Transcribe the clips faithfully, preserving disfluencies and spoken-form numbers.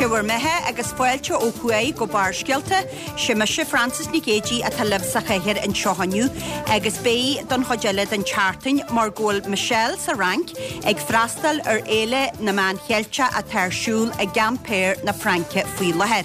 Sé bhur mbeatha agus fáilte ó thuaidh go Barrscéalta, sé mise Frances Nic Géadaigh atá libh sa chathaoir anseo inniu agus beidh don chuid eile den tseachtain mar go bhfuil Michelle sa Fhrainc ag freastal ar Fhéile na Meán Cheilteach atá ar siúl i gCampéir na Fraince faoi láthair.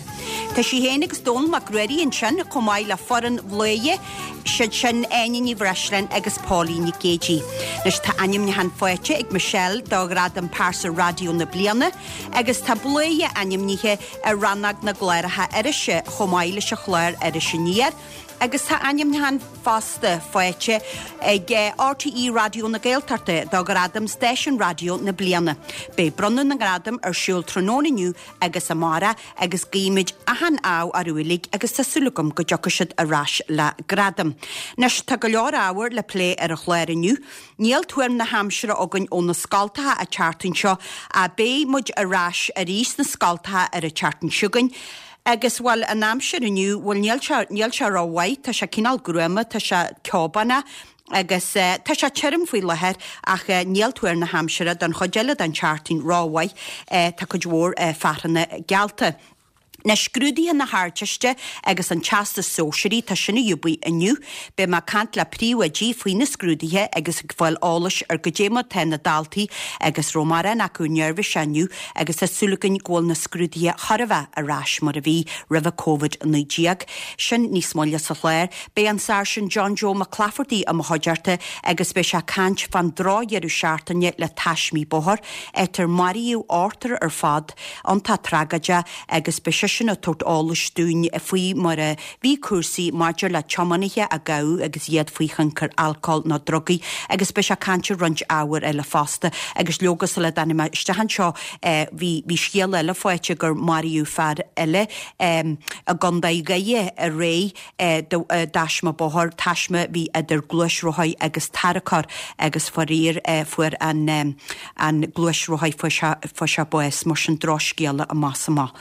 Tá sí féin agus Dónall Mac Ruairí ansin chomh maith le foireann Bhladhaire, siad sin Áine Ní Bhreisleáin agus Pauline Nic Géadaigh. Anois tá ainmniúchán faighte ag Michelle do Ghradam Pearsa Raidió na Bliana agus tá Bladhaire ainmnithe i rannóg na gcláracha irise chomh maith leis an chlár Iris Aniar. Agus tá ainmniúchán fosta faighte ag RTÉ Raidió na Gaeltachta do Ghradam Stáisiún Raidió na Bliana. Beidh bronnadh na ngradam ar siúl tráthnóna inniu agus amárach agus guímid achan ádh orthu uilig agus tá súil agam go dtiocfaidh siad ar ais le gradam. Anois tá go leor ábhar le plé ar an chlár inniu. Níl tuairim na haimsire againn ó na scoltacha an tseachtain seo ach beidh muid ar ais arís sna scoltacha ar an tseachtain seo chugainn. Agus bhuel an aimsir inniu bhuel níl sé níl sé rómhaith, tá sé cineál gruama, tá sé ceobánach agus uh, tá sé tirim faoi láthair ach uh, níl tuar na haimsire don chuid eile den tseachtain rómhaith uh, tá cuid mhór uh, fearthainne geallta. Na scrúduithe na hArdteiste agus an Teastas Sóisearach tá sin ar bun inniu, Beidh mé ag caint le príomhoidí faoi na scrúduithe agus ag fáil eolais ar goidé mar tá na daltaí agus raibh mórán acu neirbhíseach inniu agus tá súil againn go bhfuil na scrúduithe chóir a bheith ar ais mar a bhí roimh Covid a naoi déag. Sin níos moille sa chlár, Beidh an Sáirsint John Joe Mac Clafferty i mo chuideachta agus beidh sé ag caint fán drochdheireadh seachtaine le taismí bóthair, áit ar maraíodh ochtar ar fad iontach tragóideach agus beidh sé sin ag tabhairt eolais dúinn faoi mar a bhí cúrsaí maidir le tiománaithe a gabhadh agus iad faoi thionchar alcóil nó drugaí agus beidh sé ag caint ar roinnt ábhair eile fosta agus leoga sula dtáinig mé isteach anseo bhí bhí scéal eile faighte gur maraíodh fear eile i gContae Dhoire aréir dtaisme bóthair taisme bhí idir gluaisrothaí agus tarracóir agus faraor fuair an an gluaisrothaí fuair sé bás mar sin drochscéala amach is amach.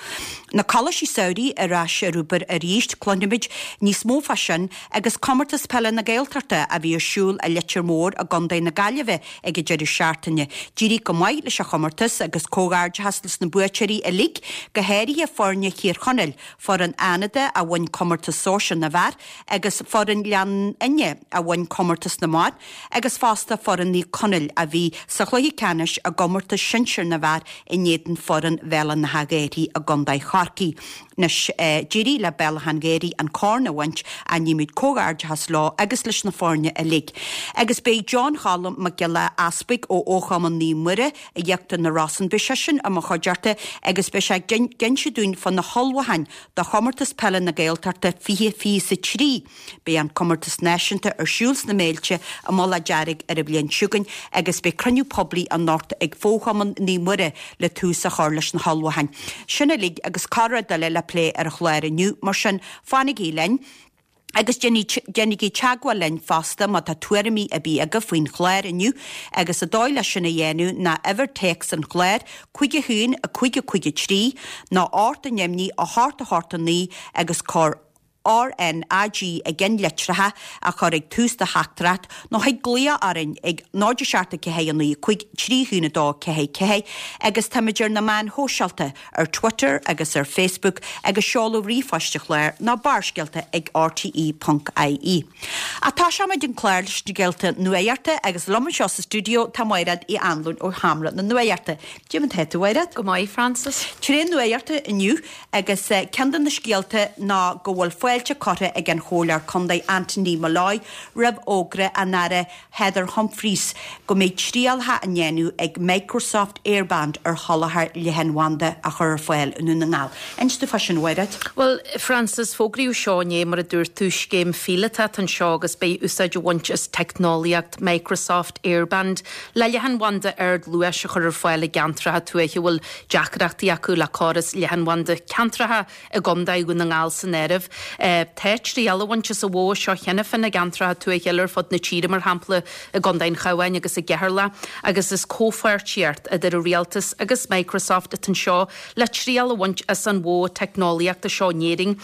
Na coláistí samhraidh ar ais ar obair arís cluinfimid níos mó fá sin agus comórtas peile na Gaeltachta a bhí ar siúl i Leitir Móir i gContae na Gaillimhe ag an deireadh seachtaine. D'éirigh go maith leis an chomórtas agus comhghairdeachas leis na buaiteoirí uilig go háirithe foirne Thír Chonaill, foireann Fhánada a bhain comórtas sóisir na bhfear agus foireann Ghleann Fhinne a bhain comórtas na mban agus fosta foireann Naomh Conaill a bhí sa chluiche ceannais i gcomórtas sinsir na bhfear in éadan foireann Bhéal an Átha Ghaorthaidh i gContae Chorcaí. Anois d'éirigh le Béal Átha an Ghaorthaidh an corn a bhaint guímid comhghairdeachas leo agus leis na foirne uilig. Agus beidh John Cholm Mac Giolla Easpaig ó Fhochumann Naomh Muire i íochtar na Rosann beidh seisean i mo chuideachta agus beidh sé ag inse dúinn fá na hullmhúcháin do chomórtas peile na Gaeltachta fiche fiche a trí. Beidh an comórtas náisiúnta ar siúl sna Méilte i Mullach Dearg ar an bhliain seo chugainn agus beidh cruinniú poiblí anocht ag Fóchumann Naomh Muire le tús a chur leis na hullmhúcháin. Sin uilig agus corrrud eile le plé ar an chlár inniu mar sin fanaigí linn. Agus déanaigí teagmháil linn fosta má tá tuairimí ar bith agaibh faoin chlár inniu agus an dóigh leis sin a dhéanamh ná uimhir téacs an chláir cúig a haon a cúig a cúig a trí nó ocht neamhní a hocht a hocht a naoi agus cuir RNAG i gceannlitreacha a chur ag tús do theachtaireacht nó thig glaoch orainn ag náid seacht ceathair a naoi cúig trí haon a dó ceathair ceathair agus táimid ar na meáin shóisialta ar Twitter agus ar Facebook agus seoladh ríomhphoist an chláir ná barrscéalta ag rte.ie. Ach tosóimid an clár leis na scéalta nuachta agus liom anseo sa stiúideo tá Mairéad Uí Anluain ó Sheomra na Nuachta. Cad é mar atá tú a Mhairéad? Go maith Frances. Tréan nuachta inniu agus ceann de na scéalta ná go bhfuil fáilte curtha ag an Chomhairleoir Contae Anthony Molloy roimh fhógra an Aire Heather Humphreys go mbeidh trialacha á ndéanamh ag Microsoft Airband ar sholáthar leathanbhanda a chur ar fáil i nDún na nGall. Inis dom fá sin a Mhairéad? Well, Frances fógraíodh seo inné mar a dúirt tú scéim phíolótach anseo agus beidh úsáid á baint as teicneolaíocht Microsoft Airband le leathanbhanda ardluais a chur ar fáil i gceantracha tuaithe bhfuil deacrachtaí acu le córas leathanbhanda ceantracha i gContae Dhún na nGall san áireamh. Tá triail á bhaint as an mhodh seo cheana féin i gceantracha tuaithe ar fud na tíre, mar shampla i gContae an Chabháin agus i gCeatharlach, agus is comhpháirtíocht idir an rialtas agus Microsoft atá anseo le triail a bhaint as an mhodh teicneolaíochta seo in Éirinn.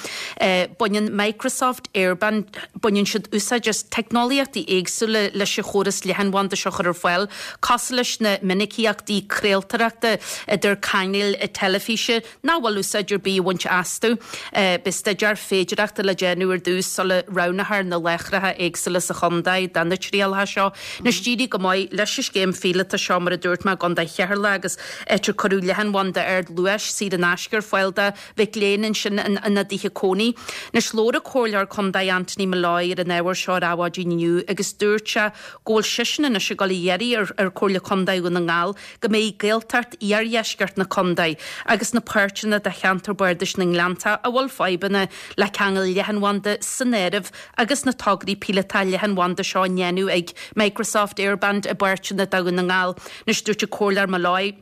Baineann Microsoft Airband, baineann siad úsáid as teicneolaíochtaí éagsúla leis an chóras leathanbhanda seo a chur ar fáil, cosúil leis na minicíochtaí craoltóireachta idir cainéil teilifíse nach bhfuil úsáid ar bith á bhaint astu. Beidh staidéar féidearthachta le déanamh ar dtús sula roghnófar na láithreacha éagsúla sa chontae do na trialacha seo. Anois d'éirigh go maith leis an scéim phíolótach seo, mar a dúirt mé, i gContae Cheatharlach agus áit ar cuireadh leathanbhanda ardluais saor in aisce ar fáil do mhic léinn ansin in ina dtithe cónaí. Anois labhair an Comhairleoir Contae Anthony Molloy ar an ábhar seo ar Adhmhaidin inniu agus dúirt sé go bhfuil seisean anois ag dul a iarraidh ar ar Chomhairle Contae Dhún na nGall go mbeidh Gaeltacht iardheisceart na contae agus na páirteanna de cheantar bardais na nGleannta a bhfuil fadhbanna le ceangal leathanbhanda san áireamh agus na tograí píolótacha leathanbhanda seo á ndéanamh ag Microsoft Airband i bpáirteanna de Dhún na nGall. Anois dúirt an Comhairleoir Molloy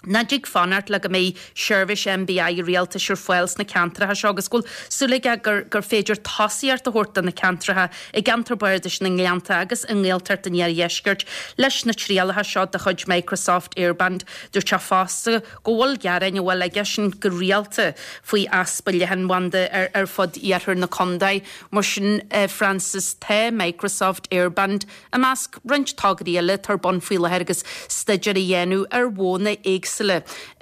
nach dtig fanacht le go mbeidh seirbhís N B I rialtais ar fáil sna ceantracha seo agus go bhfuil súil aige gur gur féidir tosaíocht a thabhairt do na ceantracha i gceantar bardais na nGleannta agus i nGaeltacht an Iardheiscirt leis na trialacha seo de chuid Microsoft Airband. Dúirt sé fosta go bhfuil gearáin a bhfuil aigesean go rialta faoi easpa leathanbhanda ar ar fud iarthar na contae. Mar sin, Francis, tá Microsoft Airband i measc roinnt tograí eile atá ar bun faoi láthair agus staidéar á dhéanamh ar mhodhanna éagsúla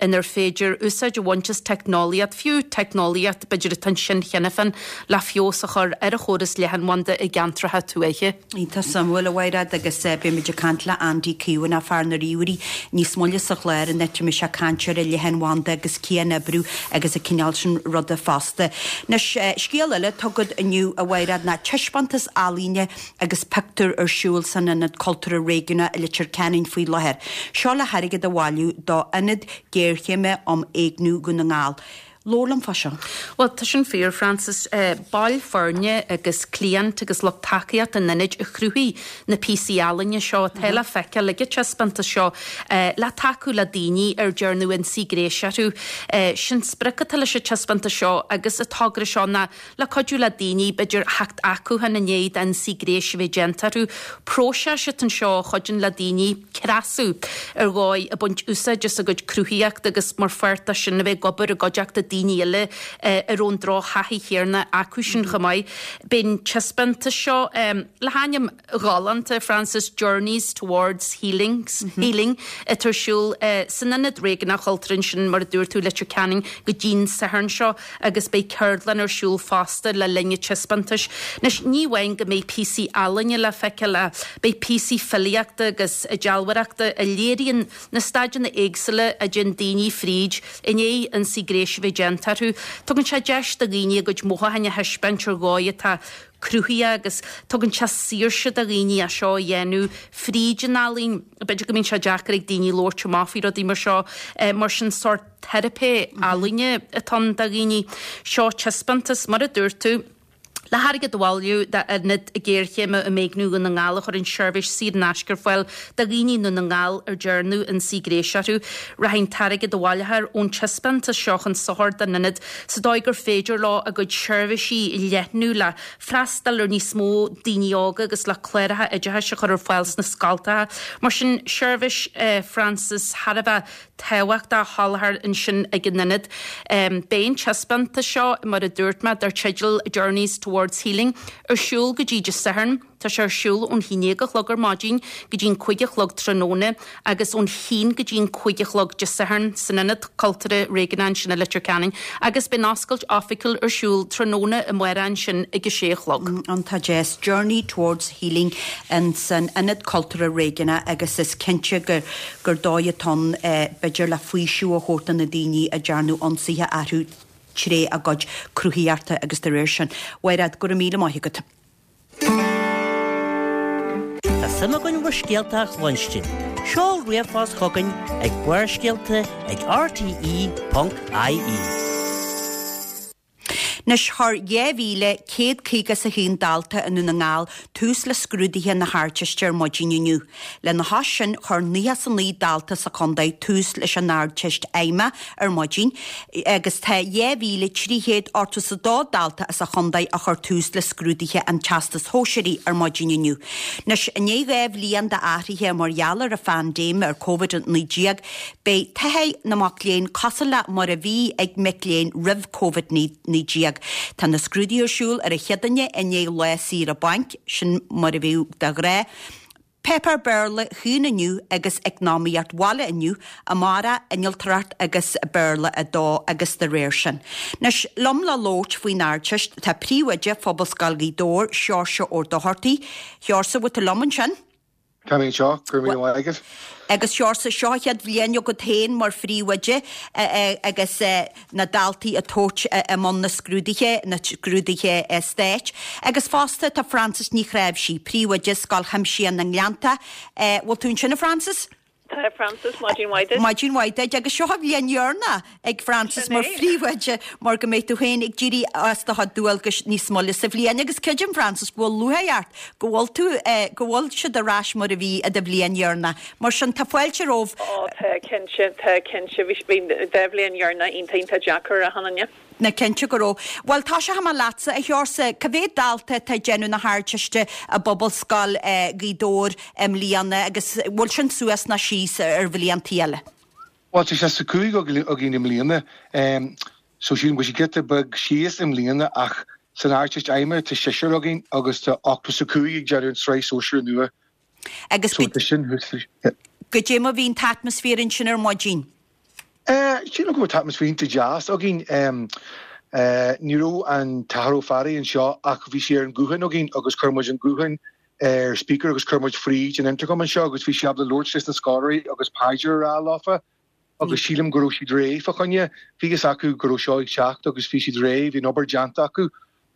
inar féidir úsáid a bhaint as teicneolaíocht, fiú teicneolaíocht b'fhéidir atá ansin cheana féin, le feabhas a chur ar an chóras leathanbhanda i gceantracha tuaithe. Iontach suimiúil, a Mhaighread, agus beimid ag caint le Andy Keown, fear na ríomhairí, níos moille sa chlár an áit a mbeidh sé ag caint ar an leathanbhanda agus cianoibriú agus an cineál sin ruda fosta. Anois, scéal eile atá agat inniu, a Mhaighread, ná taispeántas ealaíne agus pictiúr ar siúl san Ionad Cultúrtha Réigiúnach i Leitir Ceanainn faoi láthair. Seo le hairgead a bhailiú do Ionad Géarchéime um Éigniú Dhún na nGall. Labhair liom fá seo. Bhuel, tá sin fíor, Francis. Baill foirne agus cliaint agus lucht tacaíochta an ionaid a chruthaigh na píosaí ealaíne seo atá le feiceáil ag an taispeántas seo le tacú le daoine ar dearnadh ionsaí gnéis orthu. Sin sprioc atá leis an taispeántas seo agus an togra seo ná le cuidiú le daoine b'fhéidir theacht acu féin i ndiaidh d'ionsaí gnéis a bheith déanta orthu. Próiseas atá anseo a chuidíonn le daoine cneasú ar dhóigh ag baint úsáid as a gcuid cruthaíochta agus mar pháirt de sin a bheith ag obair i gcuideachta daoine eile a raibh an drochthaithí chéanna acu sin chomh maith. Beidh an taispeántas seo le hainm galánta, Francis, Journeys Towards Healings, Healing, atá ar siúl san Ionad Réigiúnach Cultúrtha ansin, mar a dúirt tú, Leitir Ceanainn go dtí'n Satharn seo agus beidh ceardlann ar siúl fosta le linn an taispeántais. Anois ní amháin go mbeidh píosaí ealaíne le feiceáil ach beidh píosaí filíochta agus dealbhóireachta a léiríonn na staideanna éagsúla a dtéann daoine fríd i ndiaidh ionsaí gnéis a bheith déanta orthu. Tugann sé deis do dhaoine a gcuid mothúcháin a thaispeáint ar dhóigh atá cruthaithe agus tugann sé saoirse do dhaoine é seo a dhéanamh fríd an ealaín. B'fhéidir go mbíonn sé deacair ag daoine labhairt amach faoi rudaí mar seo, mar sin sórt teiripe ealaíne atá ann do dhaoine. Seo taispeántas, mar a dúirt tú, le hairgead a bhailiú d'Ionad Géarchéime um Éigniú Dhún na nGall a chuireann seirbhís saor in aisce ar fáil do dhaoine i nDún na nGall ar dearnadh ionsaí gnéis orthu. Rachaidh an t-airgead a bhaileofar ón taispeántas seo chun sochair don ionad sa dóigh gur féidir leo a gcuid seirbhísí a leathnú le freastal ar níos mó daoine óga agus le cláracha oideachais a chur ar fáil sna scoltacha. Mar sin, seirbhís Francis thar a bheith tábhachtach á sholáthar ansin ag an ionad. Beidh an taispeántas seo, mar a dúirt mé, dar teideal Journeys Towards Healing, ar siúl go dtí Dé Sathairn. Tá sé ar siúl ón haon déag a chlog ar maidin go dtí an cúig a chlog tráthnóna agus ón haon go dtí an cúig a chlog Dé Sathairn san Ionad Cultúrtha Réigiúnach ansin i Leitir Ceanainn agus beidh an oscailt oifigiúil ar siúl tráthnóna amárach ansin ag a sé a chlog. Iontach deas. Journey Towards Healing in san Ionad Cultúrtha Réigiúnach agus is cinnte gur gur dóigh atá ann b'fhéidir le faoiseamh a thabhairt do na daoine a dearnadh ionsaithe orthu tré a gcuid cruthaíochta agus de réir sin. Mhaighread, go raibh míle maith agat. Tá suim againn bhur scéalta a chluinstin. Seol ríomhphost chugainn ag Barrscéalta ag R T E ponc I E. Anois chuir dhá mhíle céad caoga is a haon dalta i nDún na nGall tús le scrúduithe na hArdteiste ar maidin inniu. Lena chois sin chuir nócha is a naoi dalta sa chontae tús leis an Ardteist Fheidhmeach ar maidin agus tá dhá mhíle trí chéad ochtó is a dó dalta sa chontae a chuir tús le scrúduithe an Teastais Shóisearaigh ar maidin inniu. Anois i ndiaidh dhá bhliain d'athruithe mar gheall ar an phaindéim ar Covid a naoi déag, beidh taithí na mac léinn cosúil le mar a bhí ag mic léinn roimh Covid naoi déag. Tá na scrúduithe ar siúl ar an Chéadaoine i ndiaidh lá saoire bainc, sin mar a bhíodh de ghnáth. Páipéar Béarla chugainn inniu agus Eacnamaíocht Bhaile inniu, amárach Innealtóireacht agus Béarla a dó agus de réir sin. Anois, liom le labhairt faoin Ardteist tá Príomhoide Phobalscoil Ghaoth Dobhair, Seoirse Ó Dochartaigh. Sheoirse, bhfuil tú liom ansin? Tá mé anseo, go raibh míle maith agat. Agus Seoirse, seo an chéad bhliain agat féin mar phríomhoide agus na daltaí ag tabhairt i mbun na scrúduithe, na scrúduithe stáit. Agus fosta tá Frances Ní Chnáimhsí, príomhoide Scoil Chuimsitheach na nGleannta. Bhfuil tú ansin a Frances? Tá Frances, maidin mhaith duit. Maidin mhaith duit agus seo an bhliain dheireanach ag Frances mar phríomhoide mar go mbeidh tú féin ag éirí as do chuid dualgais níos moille sa bhliain agus creidim Frances go bhfuil lúcháir ort go bhfuil tú go bhfuil siad ar ais mar a bhí i do bhliain dheireanach. Mar sin tá fáilte romhaibh. Ó tá cinnte, tá cinnte, bhí dhá bhliain dheireanach iontach iontach deacair a Hannah. Na cinnte go raibh. Bhuel tosóidh mé leatsa a Sheoirse, cá mhéad dalta atá ag déanamh na hArdteiste i bPobalscoil Ghaoth Dobhair i mbliana agus bhfuil sin suas ná síos ar bhliantaí eile? Bhuel tá seasca cúig againn i mbliana so sílim go bhfuil sé giota beag síos i mbliana ach san Ardteist Fheidhmeach tá seisear againn agus tá ochtó is a cúig ag déanamh an tsraith sóisear nua. Agus So tá sin thuas. Goidé mar a bhí an t-atmaisféar ansin ar maidin? Sílim go bhfuil t-atmaisféar iontach deas againn. Ní raibh an tAthair Ó Fearraigh anseo ach bhí sé ar an ghuthán againn agus chuir muid an guthán ar speaker agus chuir muid fríd an intercom anseo agus bhí sé ábalta labhairt leis na scoláirí agus paidir a rá leofa agus sílim go raibh siad réidh fá choinne. Bhí fhios acu go raibh seo ag teacht agus bhí siad réidh, bhí an obair déanta acu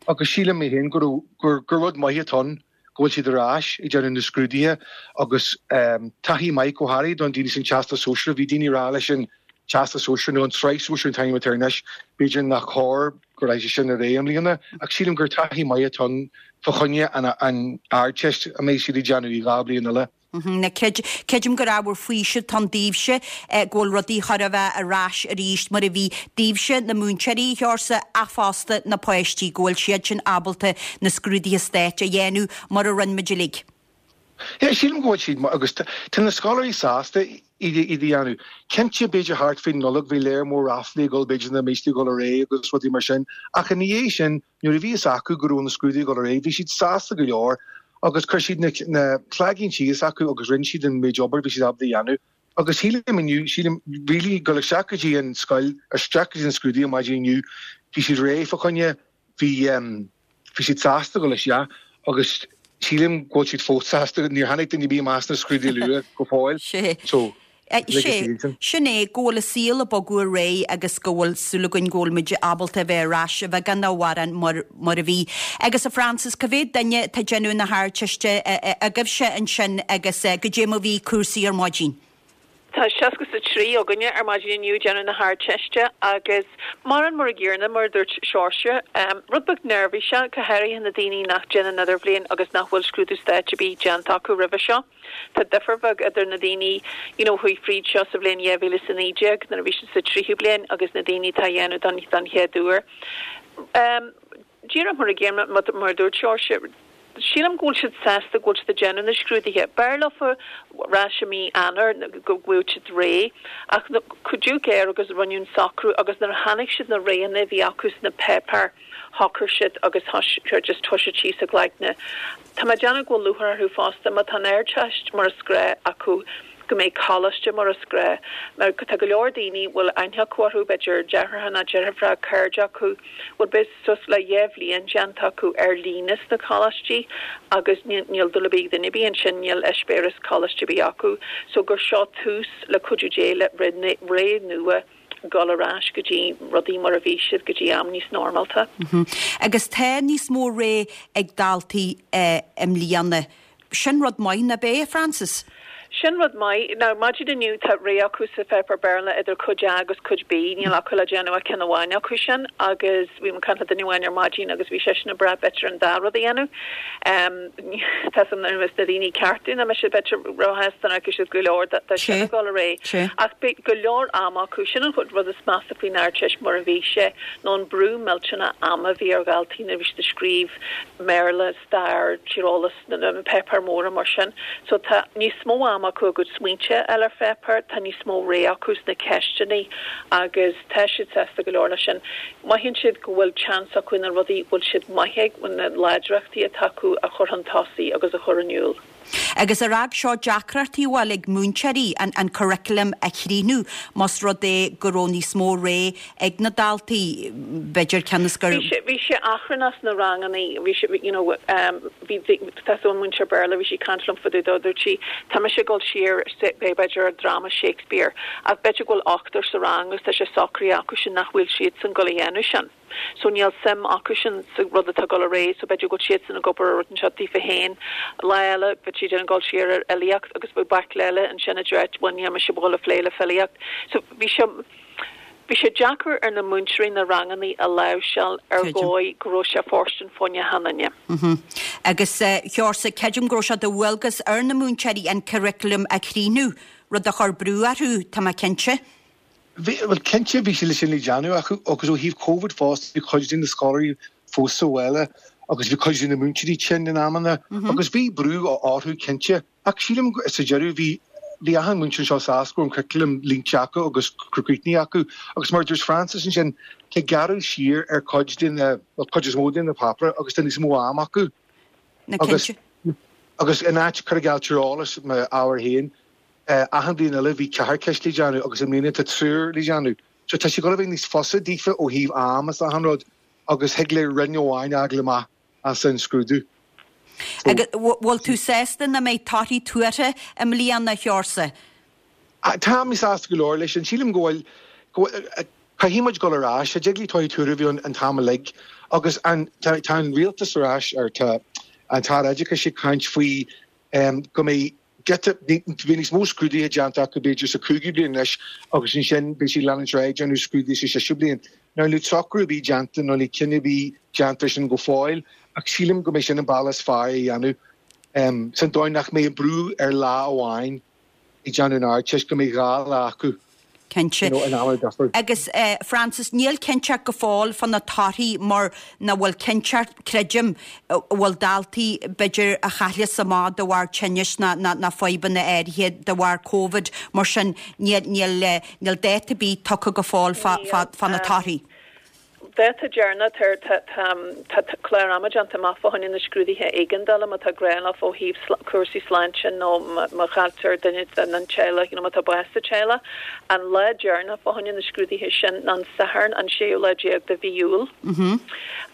agus sílim mé féin go raibh gur gur rud maith atá ann go bhfuil siad ar ais ag déanamh na scrúduithe agus taithí maith go háirithe don daoine san Teastas Sóisearach. Bhí daoine ag rá leis an Teastas Sóisearach nó an tSraith Sóisearach an t-ainm atá air anois, b'fhéidir nach chóir go raibh sé sin ar aghaidh i mbliana ach sílim gur taithí maith atá ann fá choinne an an Ardteist a mbeidh siad ag déanamh i dhá bliain eile. Na creidim gur ábhar faoisimh atá ann daoibhse go bhfuil rudaí chóir a bheith ar ais arís mar a bhí daoibhse, na múinteoirí, a Sheoirse, ach fosta na páistí, go bhfuil siad sin ábalta na scrúduithe stáit a dhéanamh mar a rinne muid uilig. Yeah, sílim go bhfuil siad agus tá na scoláirí sásta iad a dhéanamh. Cinnte b'fhéidir thart faoin Nollaig bhí léar mór ráflaí ag dul b'fhéidir nach mbeidh siad ag dul ar aghaidh agus rudaí mar sin ach ina dhiaidh sin nuair a bhí fhios acu go raibh na scrúduithe ag dul ar aghaidh bhí siad sásta go leor agus chuir siad na na cloigín síos acu agus rinne siad an méid obair bhí siad ábalta a dhéanamh. Agus sílim inniu, sílim really dul isteach go dtí an scoil, isteach go dtí an scrúdú maidin inniu, bhí siad réidh fá choinne, bhí bhí siad sásta dul isteach agus sílim go bhfuil siad fós sásta, níor tháinig duine ar bith amach as na scrúduithe luath go fóill. So. Sé, sin é, go bhfuil an saol ag bogadh ar aghaidh agus go bhfuil súil againn go bhfuil muid ábalta a bheith ar ais a bheagán nó a mhórán mar, mar a bhí. Agus a Frances, cá mhéad duine atá ag déanamh na hArdteiste agaibhse ansin agus goidé mar a bhí cúrsaí ar maidin? Tá seasca is a trí againne ar maidin inniu ag déanamh na hArdteiste agus mar an mar a gcéanna, mar a dúirt Seoirse, rud beag neirbhíseach, go háirithe na daoine nach déanann idirbhliain agus nach bhfuil scrúdú stáit ar bith déanta acu roimhe seo. Tá difear bheag idir na daoine you know chuaigh fríd seo sa bhliain dhá mhíle is a naoi déag nuair a bhí siad sa tríú bliain agus na daoine atá á dhéanamh don don chéad uair. Um, díreach mar a gcéanna mar a dúirt Seoirse, sílim go bhfuil siad sásta go bhfuil siad ag déanamh na scrúduithe. B'fhearr leofa ar ais i mí Eanáir go bhfuil siad réidh ach cuidiú géar agus rinneadh an socrú agus nuair a chonaic siad na roghanna a bhí acu sna páipéir shocair siad agus just thoisigh siad síos a gcloigne. Tá mé ag déanamh go bhfuil lúcháir orthu fosta má tá an Ardteist mar is gnách acu go mbeidh coláiste mar is gnách. Mar tá go leor daoine bhfuil aithne acu orthu, b'fhéidir deartháireacha nó deirfiúracha, cairde acu, bhfuil b'fhéidir suas le dhá bhliain déanta acu ar líne sna coláistí agus níl dúil ar bith ag duine ar bith ansin, níl eispéireas coláiste ar bith acu. So gur seo tús le cuidiú Dé le ré nua. dul ar ais go dtí rudaí mar a bhí siad go dtí am níos normálta. Agus tá níos mó rogha ag daltaí i mbliana. Sin rud maith, nach ea, Frances? Sin rud maith. Now, maidin inniu tá rogha acu sa pháipéar Béarla idir cuid A agus cuid B, níl acu le déanamh ach ceann amháin acu sin agus bhí mé ag caint le duine amháin ar maidin agus bhí seisean ag brath b'fhéidir an dá rud a dhéanamh. Tá san ar na daoine ceartú na mise b'fhéidir róshásta nach raibh siad go leor de sin ag dul ar aghaidh. Ach beidh go leor ama acu. Sin an rud is measa faoin Ardteist mar a bhí sé ná an brú millteanach ama a bhí ar dhaltaí nuair a bhí siad ag scríobh mBéarla, stair, tíreolas, na páipéir mhóra mar sin. So tá níos mó ama acu a gcuid smaointe a fháil ar pháipéar, tá níos mó rogha acu sna ceisteanna agus tá siad sásta go leor leis sin. Mothaíonn siad go bhfuil seans acu na rudaí a bhfuil siad maith ag, na láidreachtaí atá acu a chur chun tosaigh agus a chur in iúl. Agus ar fhág seo deacrachtaí bhfuil ag múinteoirí an an curriculum a chríochnú más rud é go raibh níos mó rogha ag na daltaí, b'fhéidir cionn is gur. Bhí sé bhí sé achrannach sna ranganna, bhí sé you know bhí tá so an múinteoir Béarla bhí sí ag caint liom fá dtaobh dó, dúirt sí tá mise ag dul siar b'fhéidir ar dráma Shakespeare ach b'fhéidir go bhfuil ochtar sa rang agus tá sé socraithe acu sin nach bhfuil siadsan ag dul a dhéanamh sin. So níl suim acu sin sa rud atá ag dul ar aghaidh so b'fhéidir go bhfuil siadsan ag obair ar rud inteacht daofa féin. Lá eile bheadh siad ag dul siar ar fhilíocht agus bheadh baicle eile ansin a deir bhuel níl mise ag dul a phlé le filíocht. So bhí sé bhí sé deacair ar na múinteoirí na ranganna a láimhseáil ar dhóigh go raibh sé fóirstean fá choinne achan duine. Agus a Sheosaimh, creidim go raibh sé de dhualgas ar na múinteoirí an curriculum a chríochnú, rud a chuir brú orthu, tá mé cinnte. Bhí, bhuel cinnte bhí sé le sin le déanamh acu agus ó thaobh Covid fosta bhí cuid de na scoláirí fós sa bhaile agus bhí cuid de na múinteoirí tinn in amanna agus bhí brú orthu cinnte ach sílim sa deireadh bhí bhí achan múinteoir anseo sásta go raibh an curriculum línte acu agus críochnaithe acu agus mar a dúirt Frances ansin tá gearradh siar ar cuid de na bhuel cuid is mó de na páipéir agus tá níos mó am acu agus agus in áit cur i gcéill tíreolas m'ábhar féin Achan bhliain eile bhí ceathair ceist le déanamh agus i mbliana tá triúr le déanamh. So tá sé ag dul a bheith níos fusa daofa ó thaobh am is achan rud agus thig le roinn amháin a fháil amach as an scrúdú. So. Agus bhfuil tú sásta nach mbeidh torthaí tuartha i mbliana, a Sheosaimh? Tá mé sásta go leor leis sin. Sílim go bhfuil, go bhfuil, caithfidh muid dul ar ais. Cha dtig le torthaí tuartha a bheith ann an t-am uilig agus an, tá, tá an rialtas ar ais, or tá an tAire Oideachais ag caint faoi go mbeidh giota, bhí níos mó scrúduithe déanta acu b'fhéidir sa cúigiú bliain anois agus ansin beidh siad ag leanúint ar aghaidh ag déanamh scrúduithe sa séú bliain. Now níl socrú ar bith déanta nó níl cinneadh ar bith déanta ar sin go fóill ach sílim go mbeidh sin an bealach is fearr é a dhéanamh san dóigh nach mbeidh an brú ar lá amháin ag déanamh an Ardteist, go mbeidh dhá lá acu. Cinnte. You know, in am difear. Agus Frances, níl cinnteacht go fóill fá na torthaí mar nach bhfuil cinnteacht, creidim, bhfuil daltaí b'fhéidir a chailleas amach de bharr tinnis ná ná fadhbanna áirithe de bharr Covid, mar sin níl níl níl dáta ar bith tugtha go fóill fá fá fá na torthaí. Dáta deireanach tá clár ama déanta amach fá choinne na scrúduithe éigeandála má tá gá leo ó thaobh cúrsaí sláinte nó má chailltear duine den teaghlach nó má tá bás sa teaghlach. An lá deireanach fá choinne na scrúduithe sin ná an Satharn an séú lá déag de mhí Iúil.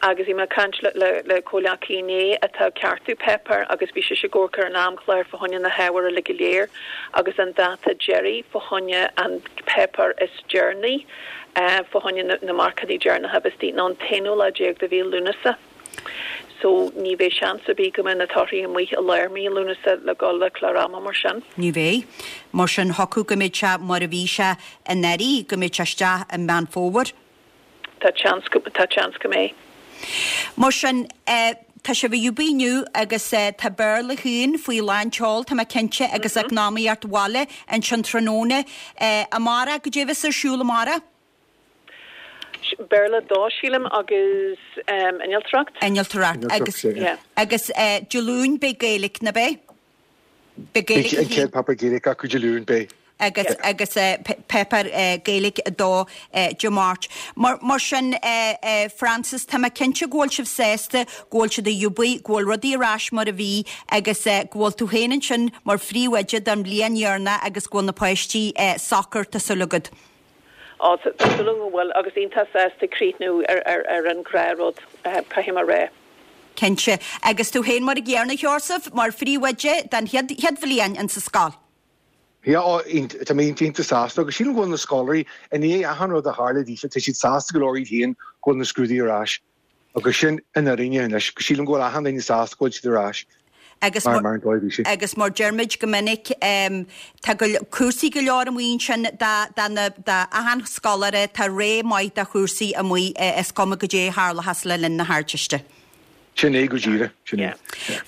Agus bhí mé ag caint le comhghleacaí inné atá ag ceartú páipéar agus bhí sise ag amharc ar an amchlár fá choinne na hábhair uilig go léir agus an dáta deiridh fá choinne an páipéar is deireanaí fá choinne na marcanna deireanacha a bheith istigh ná an t-aonú lá déag de mhí Lúnasa. So ní bheidh seans ar bith go mbeidh na torthaí amuigh i lár mí Lúnasa le dhul le clár ama mar sin. Ní bheidh. Mar sin thiocfadh go mbeidh sé mar a bhí sé anuraidh, go mbeidh sé isteach i Meán Fómhair. Tá seans go, tá seans go mbeidh. Mar sin, tá sibh ag obair inniu agus tá Béarla chugainn faoi lán tseoil, tá mé cinnte, agus Eacnamaíocht Bhaile ansin tráthnóna. Amárach, goidé a bheas ar siúl amárach? Béarla dó, sílim, agus Innealtóireacht. Innealtóireacht agus agus Dé Luain beidh Gaeilge, ná beidh? Beidh Gaeilge. An chéad páipéar Gaeilge acu Dé Luain, beidh. agus agus páipéar Gaeilge a dó Dé Máirt. Mar mar sin Frances, tá mé cinnte go bhfuil sibh sásta go bhfuil siad ag obair, go bhfuil rudaí ar ais mar a bhí agus go bhfuil tú féin ansin mar phríomhoide don bhliain dheireanach agus go bhfuil na páistí socair, tá súil agat. Á, tá súil agam go bhfuil agus iontach sásta críochnú ar ar ar an ghnáthrud, caithfidh mé a rá. Cinnte. Agus tú féin mar an gcéanna, a Sheosaimh, mar phríomhoide don chéad chéad bhliain insa scoil. Yeah, á, tá mé iontach sásta agus sílim go bhfuil na scoláirí, i ndiaidh achan rud a tharla daofa, tá siad sásta go leor iad féin go bhfuil na scrúduithe ar ais. Agus sin an fhírinne anois, sílim go bhfuil achan duine sásta go bhfuil siad ar ais. Agus Mar mar an dóigh bhí sé. Agus mar deirmid go minic tá go cúrsaí go leor amuigh ansin do do na do achan scoláire tá rogha maith de chúrsaí amuigh is cuma goidé a tharlóchas le linn na hArdteiste. Sin é go díreach, sin é.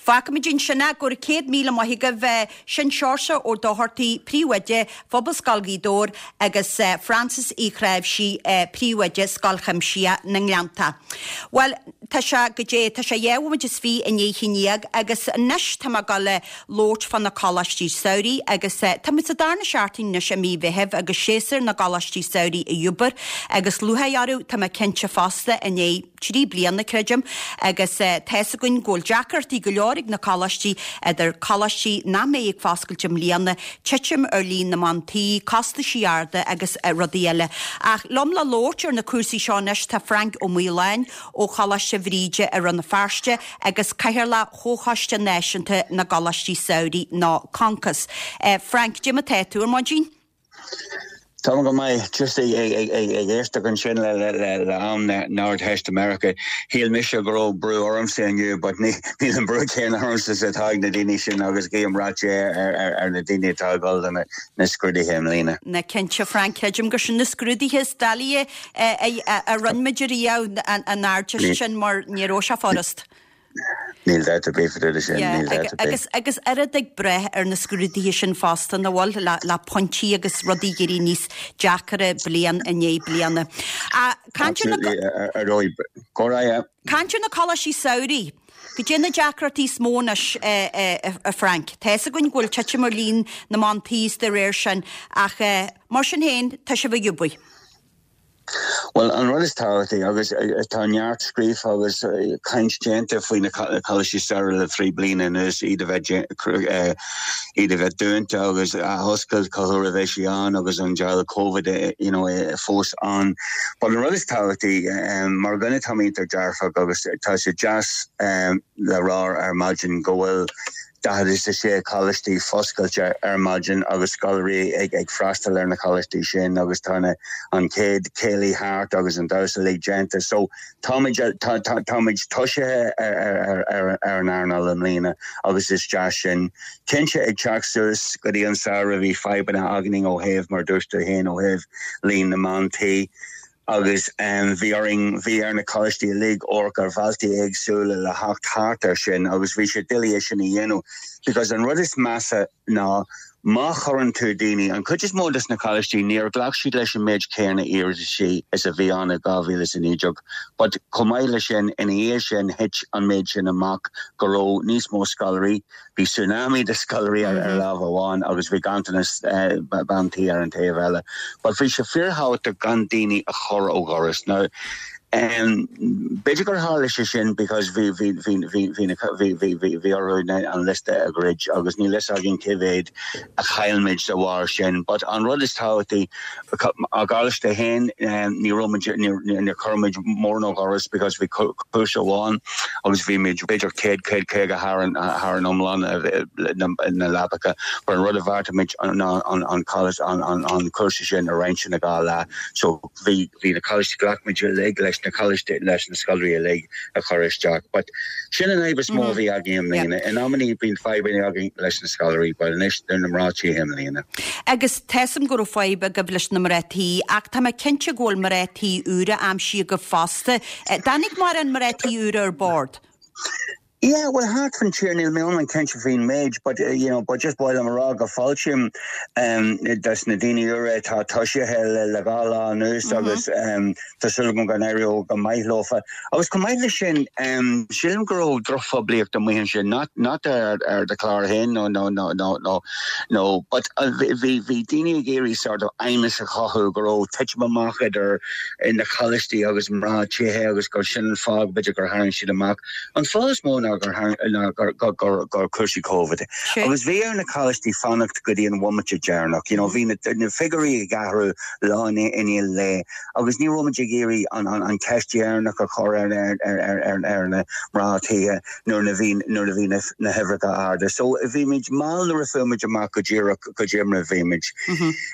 Fágfaimid ansin é, go raibh céad míle maith agaibh. Sin Seoirse Ó Dochartaigh, Príomhoide, Phobalscoil Ghaoth Dobhair agus Frances Uí Chnáimhsí, Príomhoide, Scoil Chuimsitheach na nGleannta. Bhuel, tá sé goidé, tá sé dhá bhomaite is fiche i ndiaidh a haon déag agus anois tá mé ag dul a labhairt fá na coláistí samhraidh agus tá muid sa darna seachtain anois i mí Mheithimh agus séasúr na gcoláistí samhraidh ag obair agus lúcháir orthu, tá mé cinnte fosta, i ndiaidh trí bliana, creidim, agus tá's againn go bhfuil deacrachtaí go leor ag na coláistí, idir coláistí nach mbeidh ag foscailt i mbliana, titim ar líon na mban tí, costaisí arda agus rudaí eile. Ach liom le labhairt ar na cúrsaí seo anois tá Frank Ó Maoláin ó Choláiste Bhríde i Rann na Feirste agus Cathaoirleach Chomhchoiste Náisiúnta na gColáistí Samhraidh nó Concos. Frank, cad é mar atá tú ar maidin? Tá go maith just ag éisteacht ansin le le am na hArdteistiméireachta. Shíl mise go raibh brú ormsa inniu, but níl an brú céanna ormsa is atá ag na daoine sin agus guím rath Dé ar na daoine atá ag dul do na scrúduithe i mbliana. Na cinnte Frank, creidim gur sin na scrúduithe is doiligh a rinne muid ariamh an Ardteist sin mar ní raibh sé furast. Níl dabht ar bith faoi sin, níl dabht ar bith. Agus agus oiread ag brath ar na scrúduithe sin fosta, nach bhfuil, le le pointí agus rudaí ag éirí níos deacra bliain i ndiaidh bliana. Caint ar na Absolutely, ar ndóigh. Go raibh, yeah. Caint ar na coláistí samhraidh. Goidé na deacrachtaí is mó anois, a Frank? Tá fhios againn go bhfuil titim ar líon na mban tí is de réir sin, ach mar sin féin, tá sibh ag obair. Bhuel, an rud is tábhachtaí, agus tá neart scríofa agus caint déanta faoi na coláistí samhraidh le trí bliana anuas, iad a bheith iad a bheith dúnta agus athoscailt cá huair a bheidh sí ann agus an deabhal Covid you know, fós ann. But an rud is tábhachtaí, mar dhuine tá mé iontach dearfach agus tá sé deas le rá ar maidin go bhfuil daichead is a sé coláistí foscailte ar maidin agus scoláirí ag ag freastal ar na coláistí sin agus tá na an chéad céilí thart agus an damhsa uilig déanta. So táimid tá tá táimid tosaithe ar ar ar ar an earnáil i mbliana agus is deas sin. Cinnte ag teacht suas go dtí an samhradh bhí fadhbanna againn ó thaobh mar dúirt tú féin ó thaobh líon na mban tí. agus bhí orainn, bhí ar na coláistí uilig amharc ar bhealtaí éagsúla le theacht thart air sin agus bhí sé doiligh é sin a dhéanamh because an rud is measa ná má chuireann tú daoine, an chuid is mó des na coláistí níor ghlac siad leis an méid céanna iarrataisí is a bhí ann i dhá mhíle is a naoi déag but chomh maith leis sin ina dhiaidh sin thit an méid sin amach go raibh níos mó scoláirí, Bhí tsunami de scoláirí ar lámh amháin agus bhí ganntanas ban tí ar an taobh eile. But bhí sé fíorthábhachtach gan daoine a chur ó dhoras. Now, b'fhéidir gur tharla sé sin because bhí bhí bhí bhí bhí na bhí bhí bhí bhí orthu an liosta a dhruid agus níl fhios againn cé mhéad a chaill muid de bharr sin. But an rud is tábhachtaí, ár gcoláiste féin, ní raibh muid níor chuir muid mórán ó dhoras because bhí cúrsa amháin agus bhí muid b'fhéidir céad, céad caoga thar an thar an iomlán na leapacha but an rud a bheartaigh muid ná an an college an an an cúrsa sin a roinnt ina dhá leath so bhí bhí na coláistí ghlac muid uilig leis na coláistí leis na scoláirí uilig a chur isteach but sin an fhadhb is mó a bhí againn i mbliana. In amannaí bíonn fadhbanna againn leis na scoláirí but anois na mná tí i mbliana. Agus tá 'fhios a'm go raibh fadhb agaibh leis na mná tí ach tá mé cinnte go bhfuil mná tí úra aimsithe agaibh fosta. Dtáinig mórán mná tí úra ar bord? Yeah, well thart fan tír níl mé iomlán cinnte faoin méid but you know but just ba mhaith liom a rá go fáiltím um, des na daoine úra atá tosaithe le le dhá lá anuas agus um, tá súil agam go n-éireoidh go maith leofa. Agus chomh maith leis sin um, sílim go raibh drochphoiblíocht amuigh ansin not not ar ar do chlár féin no no no no no no but uh, bhí bhí daoine ag iarraidh sort of aighneas a chothú go raibh titim amach idir na coláistí agus mná tithe agus gur sin an fáth b'fhéidir gur tharraing siad amach. An fáth is mó ná gur ná gur gur gur gur cúrsaí Covid. Agus bhí ar na coláistí fanacht go dtí an bhomaite deireanach. You know, bhí na, na figiúirí ag athrú lá i ndiaidh lae agus ní raibh muid ag iarraidh an, an, an ceist dheireanach a chur ar, ar, ar, ar, ar, ar na mná tithe nuair a bhí nuair a bhí na, na huimhreacha arda. So bhí muid mall nuair a fuair muid amach go díreach goidé mar a bhí muid.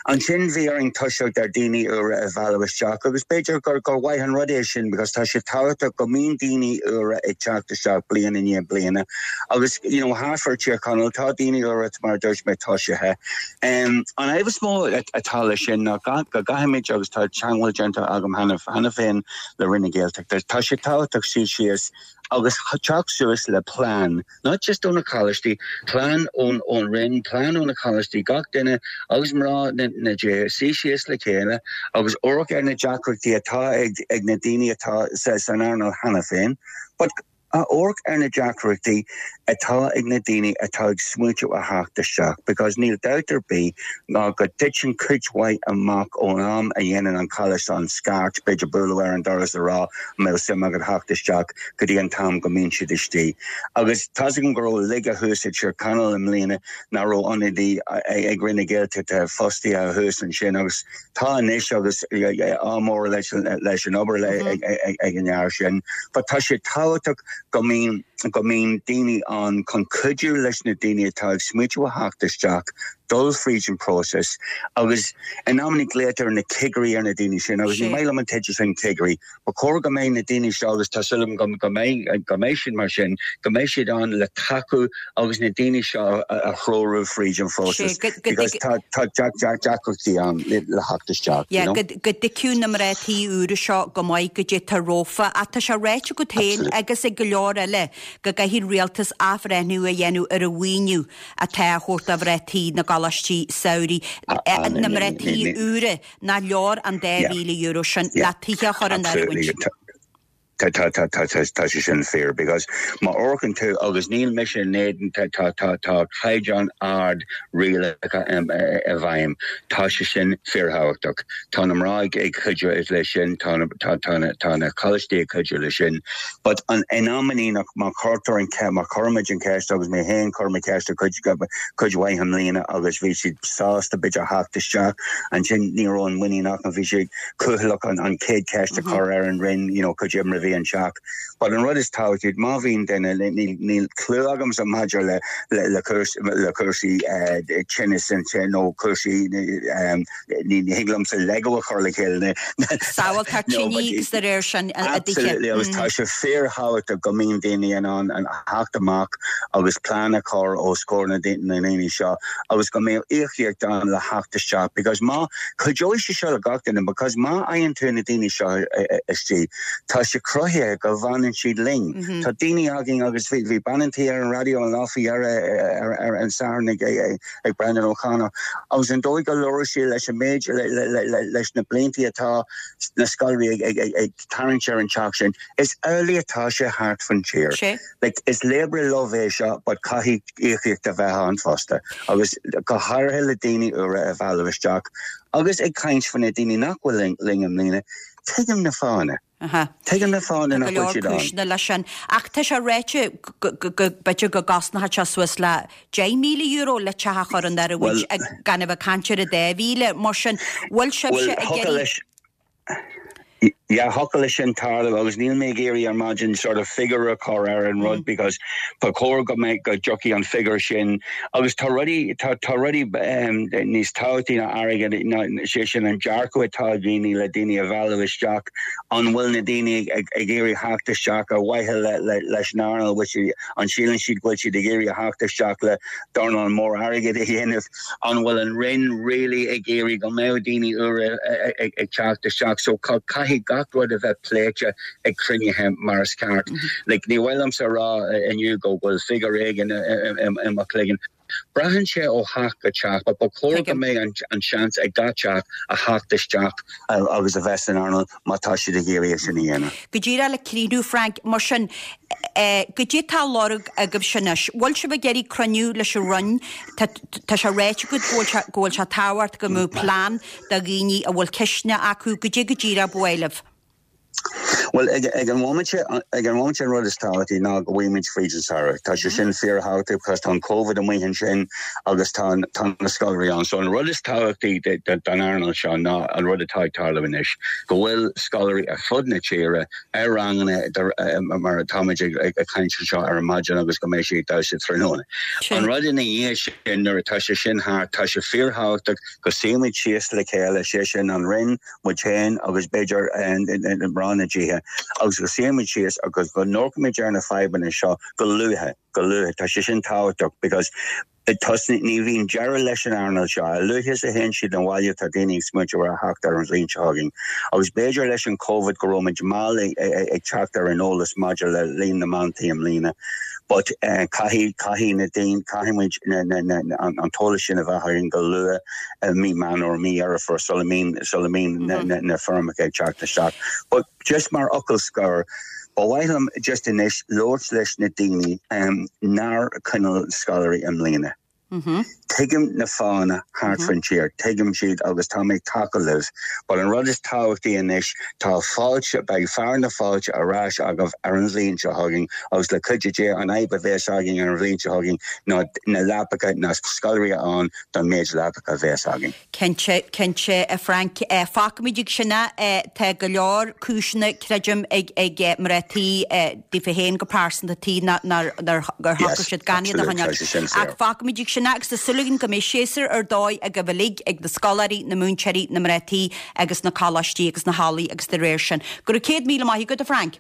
Ansin bhí orainn toiseacht ar daoine úra a mhealladh isteach agus b'fhéidir gur gur mhaith an rud é sin because tá sé tábhachtach go mbíonn daoine úra ag teacht isteach bliain i ndiaidh bliana agus you know thart fá Tír Chonaill tá daoine úra mar dúirt mé tosaithe. Um, an fhadhb is mó atá leis sin ná go gcaithfimid agus tá teagmháil déanta agam cheana féin le Roinn na Gaeltachta. Tá sé tábhachtach suí síos agus teacht suas le plean, not just ó na coláistí, plean ón ón Roinn, plean ó na coláistí gach duine agus mná na na dtithe suí síos le chéile agus amharc ar na deacrachtaí atá ag ag na daoine atá sa san earnáil cheana féin. But amharc ar na deacrachtaí atá ag na daoine atá ag smaointiú a theacht isteach, because níl dabht ar bith ná go dtiteann cuid mhaith amach ón am a dhéanann an coláiste an scairt b'fhéidir bualadh ar an doras a rá an mbeadh suim agat theacht isteach go dtí an t-am go mbíonn siad istigh. Agus tá 's agam go raibh laige thuas i Tír Chonaill i mbliana nach raibh ionadaí ag Roinn na Gaeltachta fostaithe thuas ansin agus tá anois agus ádh mór leis leis an obair ag an fhear sin. But tá sé tábhachtach go mbíonn go mbíonn daoine ann chun cuidiú leis na daoine atá ag smaointiú a theacht isteach, dul fríd an próiseas agus in amanna glaotar na cigirí ar na daoine sin agus ní maith liom an teideal sin cigirí. Ba chóir go mbeidh na daoine seo agus tá súil agam go mbeidh go mbeidh siad mar sin, go mbeidh siad ann le tacú agus na daoine seo a threorú fríd an phróiseas because tá tá deacrachtaí ann le theacht isteach. Yeah, go go dtuigfeadh na mná tí úra seo go maith goidé atá rompu ach tá sé ráite agat féin agus ag go leor eile go gcaithfidh an rialtas athbhreithniú a dhéanamh ar an mhaoiniú atá á thabhairt do mhná tí na gcoláistí samhraidh na mná tí úra nach leor an dá mhíle euro sin le tithe a chur in oiriúint. Tá tá tá tá tá sé sin fíor because má amharcann tú agus níl mise in éadan tá tá tá tá caighdeán ard rialacha i bhfeidhm. Tá sé sin fíorthábhachtach. Tá na mná ag cuidiú leis sin tá tá tá na coláistí ag cuidiú leis sin. But an in amanna nach má chuirtear an ce má chuirimid an ceist agus mé féin chuir mé ceist cuid cuid mhaith i mbliana agus bhí siad sásta b'fhéidir theacht isteach ansin ní raibh an muinín acu bhí siad cúthaileach an an chéad ceist a chur ar an Roinn you know, cuid imre bhí an teach. But an rud is tábhachtaí má bhíonn duine níl clue agamsa maidir le le le le cúrsaí tinnis nó cúrsaí ní thig liomsa Lego a chur le chéile. Samhalta tine agus de réir sin Absolutely agus tá sé fíorthábhachtach go mbíonn daoine in ann an theacht amach agus plean a chur os comhair na daoine seo agus go mbeadh íocaíocht ann le theacht isteach because má chuideoidh sé seo le gach duine because má fhaigheann tú na daoine seo istigh tá sé cruthaithe go bhfanann siad linn. Tá daoine againn agus bhí bhí bean an tí ar an raidió an lá faoi dheireadh ar ar an Satharn ag ag Brendan O'Connor agus an dóigh go labhair sí leis an méid leis na blianta atá na scoláirí ag ag ag tarraingt ar an teach sin is amhlaidh atá sé thart fan tír. Like, is labor of love é seo but caithfidh íocaíocht a bheith ann fosta agus go háirithe le daoine úra a mhealladh isteach agus ag caint faoi na daoine nach bhfuil linn i mbliana tuigim na fáthanna. Tuigim na fáthanna nach bhfuil siad ann. cúiseanna leis sin. Ach tá sé ráite b'fhéidir go gcosnódh sé suas le deich míle euro le teach a chur in oiriúint gan a bheith ag caint ar an dá mhíle mar sin bhfuil sibhse ag iarraidh Yeah, thiocfadh leis sin tarlú agus níl mé ag iarraidh ar maidin sort of figure a chur ar an rud because ba chóir go mbeidh go dtiocfaidh an figure sin agus tá rudaí tá tá rudaí um, níos tábhachtaí ná airgead ná sé sin an dearcadh atá ag daoine le daoine a mhealladh isteach an bhfuil na daoine ag ag iarraidh theacht isteach ar mhaithe le le leis an earnáil which an síleann siad go bhfuil siad ag iarraidh theacht isteach le dornán mór airgead a dhéanamh an bhfuil an Roinn really ag iarraidh go mbeadh daoine úra ag ag teacht isteach so caithfidh gach rud a bheith pléite ag cruinnithe mar is ceart. Like, ní bhfuil sa rá inniu go bhfuil figure éigin i mo chloigeann. Braitheann sé ó theach go teach, but ba chóir go mbeidh an, an seans ag gach teach a theacht isteach agus a bheith san earnáil má tá siad ag iarraidh sin a dhéanamh. Go díreach le críochnú Frank mar sin goidé atá á lorg agaibhse anois. Bhfuil sibh ag iarraidh cruinniú leis an Roinn Tá sé ráite go bhfuil go bhfuil sé tábhachtach go mbeadh plean do dhaoine a bhfuil ceisteanna acu goidé go díreach ba mhaith libh. Well ag ag an moment ag an moment an rud is tábhachtaí ná go bhfuimid fríd an samhradh. Tá sé sin fíorthábhachtach because tá an COVID amuigh ansin agus tá tá na scoláirí ann. So an rud is tábhachtaí don earnáil seo ná an rud atá ag tarlú anois, go bhfuil scoláirí ar fud na tíre ar ranganna mar atáimid ag caint seo ar an maidin agus go mbeidh sé damhsa tráthnóna. An rud ina dhiaidh sin nuair atá sé sin thart tá sé fíorthábhachtach go suímid síos le chéile sé sin an Roinn muid féin agus b'fhéidir mná na dtithe agus go suímid síos agus go n-amharcaimid ar na fadhbanna seo go luath, go luath. Tá sé sin tábhachtach because tosnaí ní bhíonn deireadh leis an earnáil seo. A luaithe is a théann siad abhaile tá daoine ag smaointiú ar a theacht ar an bhliain seo chugainn. Agus b'fhéidir leis an Covid go raibh muid mall ag teacht ar an eolas maidir le líon na mbantaí i mbliana. But uh, caithfidh caithfidh na daoine caithfidh muid an t-eolas sin a bheith againn go luath uh, mí Meán or mí Dheireadh Fómhair sula mbíonn sula mbíonn mm -hmm. na, na, na foirmeacha ag teacht isteach. But just mar fhocal scoir, Ba mhaith liom just anois labhairt leis na daoine um, nár coinníodh scoláirí i mbliana. Mm -hmm. Tuigim na fáthanna thart faoin tír, tuigim siad agus tá mé ag tacú libh, But an rud is tábhachtaí anois tá fáilte beidh fear na fáilte ar ais agaibh ar an bhliain seo chugainn agus le cuidiú Dé an fhadhb a bheas againn ar an bhliain seo chugainn ná na leapacha na scoláirí ann don méid leapacha a bheas againn. Cinnte cinnte a Frank fágfaimid ag sin é tá go leor cúiseanna creidim ag ag mná tí daofa féin go pearsanta tí gur shocraigh siad gan iad a choinneáil. Ach fágfaimid ag sin é agus tá súil againn go mbeidh séasúr ar dóigh agaibh uilig ag na scoláirí, na múinteoirí, na mná tí agus na coláistí agus na hallaí agus de réir sin. Go raibh céad míle maith agat a Frank.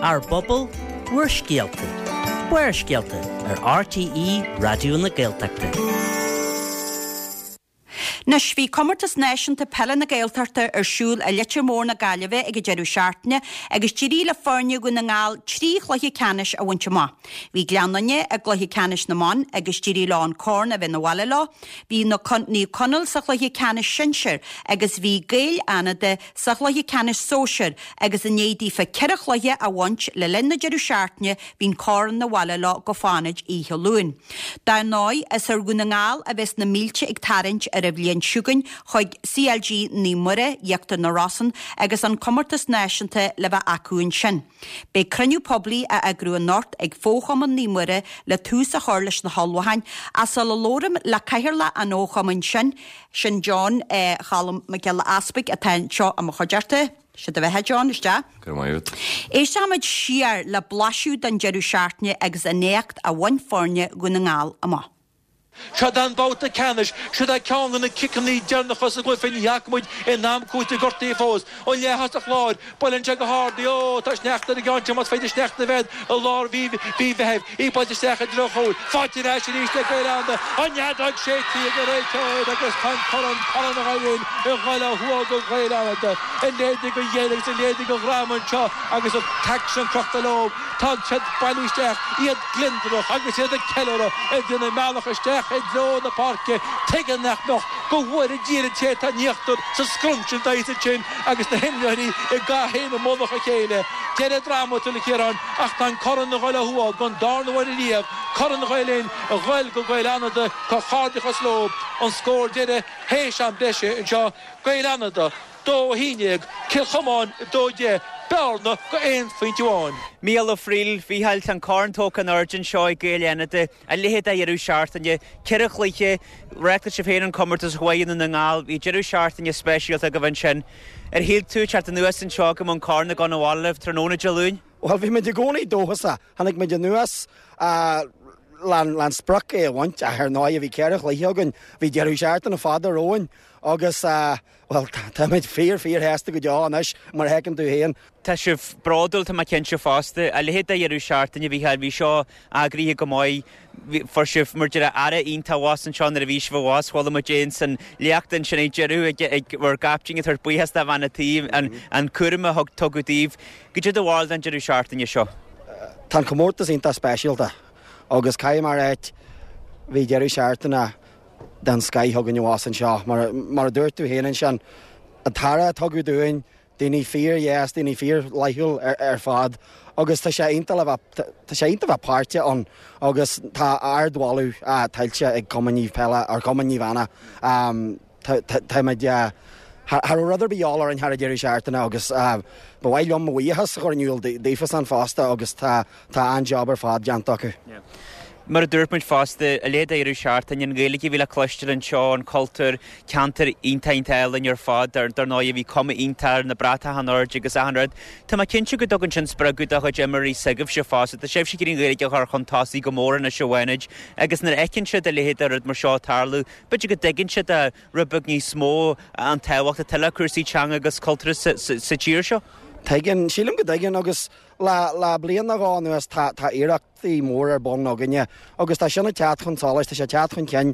Ár bpobal, bhur scéalta. Barrscéalta ar RTÉ Raidió na Gaeltachta. Anois bhí comórtas náisiúnta peile na Gaeltachta ar siúl i Leitir Mór na Gaillimhe ag an deireadh seachtaine agus d'éirigh le foirne Dhún na nGall trí chluiche ceannais a bhaint amach. Bhí Gleann Fhinne i gcluiche ceannais na mban agus d'éirigh leo an corn a bheith 'na bhaile leo. Bhí na Naomh Conaill sa chluiche ceannais sinsir agus bhí Gaeil Fhánada sa chluiche ceannais sóisir agus i ndiaidh daofa ceithre chluiche a bhaint le linn na deireadh seachtaine bhí an corn 'na bhaile leo go Fánaid oíche Luain. Dar ndóigh is ar Dhún na nGall a bheas na mílte ag tarraingt ar an bhliain seo chugainn chuig CLG Naomh Muire, Íochtar na Rosann agus an comórtas náisiúnta le bheith acu ansin. Beidh cruinniú poiblí á eagrú anocht ag Fóchumann Naomh Muire le tús a chur leis na hullmhúcháin ach sula labhraím le cathaoirleach an fhochumainn sin, sin John eh, Cholm Mac Giolla Easpaig atá anseo i mo chuideachta. Sé do bheatha John isteach. Go raibh maith agat. Éistfimid siar le blaiseadh den deireadh seachtaine agus an éacht a bhain foirne Dhún na nGall amach. Seo an babhta ceannais, seo ceann de na ciceanna deireanacha sa gcluiche ní fhaca muid in am cúitimh gortaithe fós. Ó leath-thosach láir, buaileann sé go hard í, ó, tá sneachta ar an gceann seo, más féidir sneachta a bheith i lár mhí Mheithimh, í buailte isteach i dtreo chúil, faighte ar ais arís ag Gaeil Fhánada, an fheadóg séidte ag an réiteoir agus tá an corn, Corn Ghael Linn ag dul ó thuaidh go Gaeil Fhánada, a leithéid de ghéilleadh agus a leithéid de dhráma anseo agus an t-aicsean crochta leo. Tá siad ag bailiú isteach, iad gliondrach agus iad ag ceiliúradh, ag déanamh a mbealach isteach i dtreo na páirce. Tuige nach mbeadh? Go bhfóire Dia ar an té atá in íochtar sa scrunch an dóigh sin agus na himreoirí ag gach aon i mullach a chéile. Deireadh drámatúil, a Chiaráin, ach tá an corn ag dul ó thuaidh don darna huair ariamh, Corn Ghael Linn ag dul go Gaeil Fhánada, comhghairdeachas leo. An scór deiridh théis am breise anseo, Gaeil Fhánada. dó a haon déag, Cill Chomáin a dó deich, bearna go aon phointe amháin. Mícheál Ó Frighil, Mhícheáil, tá an corn tógtha in airde anseo ag Gaeil Fhánada, a leithéid de dheireadh seachtaine, ceithre chluiche, reáchtáil sibh féin an comórtas chomh maith i nDún na nGall, bhí deireadh seachtaine speisialta agaibh ansin. Ar shíl tú ag teacht anuas anseo go mbeadh an corn ag dul abhaile libh tráthnóna Dé Luain? Bhuel, bhí muid i gcónaí dóchasach. Tháinig muid anuas le an sprioc é a bhaint ach ar ndóigh bhí ceithre chluiche againn, bhí deireadh seachtaine fada romhainn agus bhuel táimid fíor fíor shásta go deo anois mar a fheiceann tú féin. Tá sibh bródúil, tá mé cinnte fosta. A leithéid de dheireadh seachtaine, a Mhícheáil, bhí seo eagraithe go maith. Fuair sibh, mar a déarfá, aire iontach abhus anseo nuair a bhí sibh abhus. Chuala muid é ins an léacht ansin ag deireadh ag bhur gcaiptín ag tabhairt buíochas do bhean an tí, an cúram a tugadh daoibh. Goidé do bharúil den deireadh seachtaine seo? Tá an comórtas iontach speisialta agus caithfidh mé a ráit, bhí deireadh seachtaine den scoith againn abhus anseo. Mar, mar a dúirt tú féin ansin, an t-aire a tugadh dúinn, daoine fíordheas, daoine fíorfhlaithiúil ar, ar fad, agus tá sé iontach le bheith, tá sé iontach bheith páirteach ann agus tá ardmholadh tuillte ag Cumann Naomh Peile, ar Cumann Naomh Anna. Um, Táimid cha raibh rud ar bith de dhíobháil orainn thar an deireadh seachtaine agus ba mhaith liom mo bhuíochas a chur in iúl daofasan fosta agus tá tá an-jab ar fad déanta acu. Mar a dúirt muid fosta, a leithéid de dheireadh seachtaine, an Ghaeilge a bhí le cloisteáil anseo, an cultúr, ceantar iontach iontach álainn ar fad, dar ndóigh bhí cuma iontach ar na bratacha in airde agus achan rud. Tá mé cinnte go dtugann sin spreagadh do chuid imreoirí s'agaibhse fosta, tá sibhse ag iarraidh an Ghaeilge a chur chun tosaigh go mór anois a Bhánaid agus nuair a fheiceann siad a leithéid de rud mar seo ag tarlú, b'fhéidir go dtuigeann siad rud beag níos mó an tábhacht atá le cúrsaí teanga agus cultúrtha sa tír seo. Tuigeann, sílim go dtuigeann agus le le bliain nó dhó anuas tá tá iarrachtaí mór ar bun againne agus tá sin ag teacht chun solais, tá sé ag teacht chun cinn,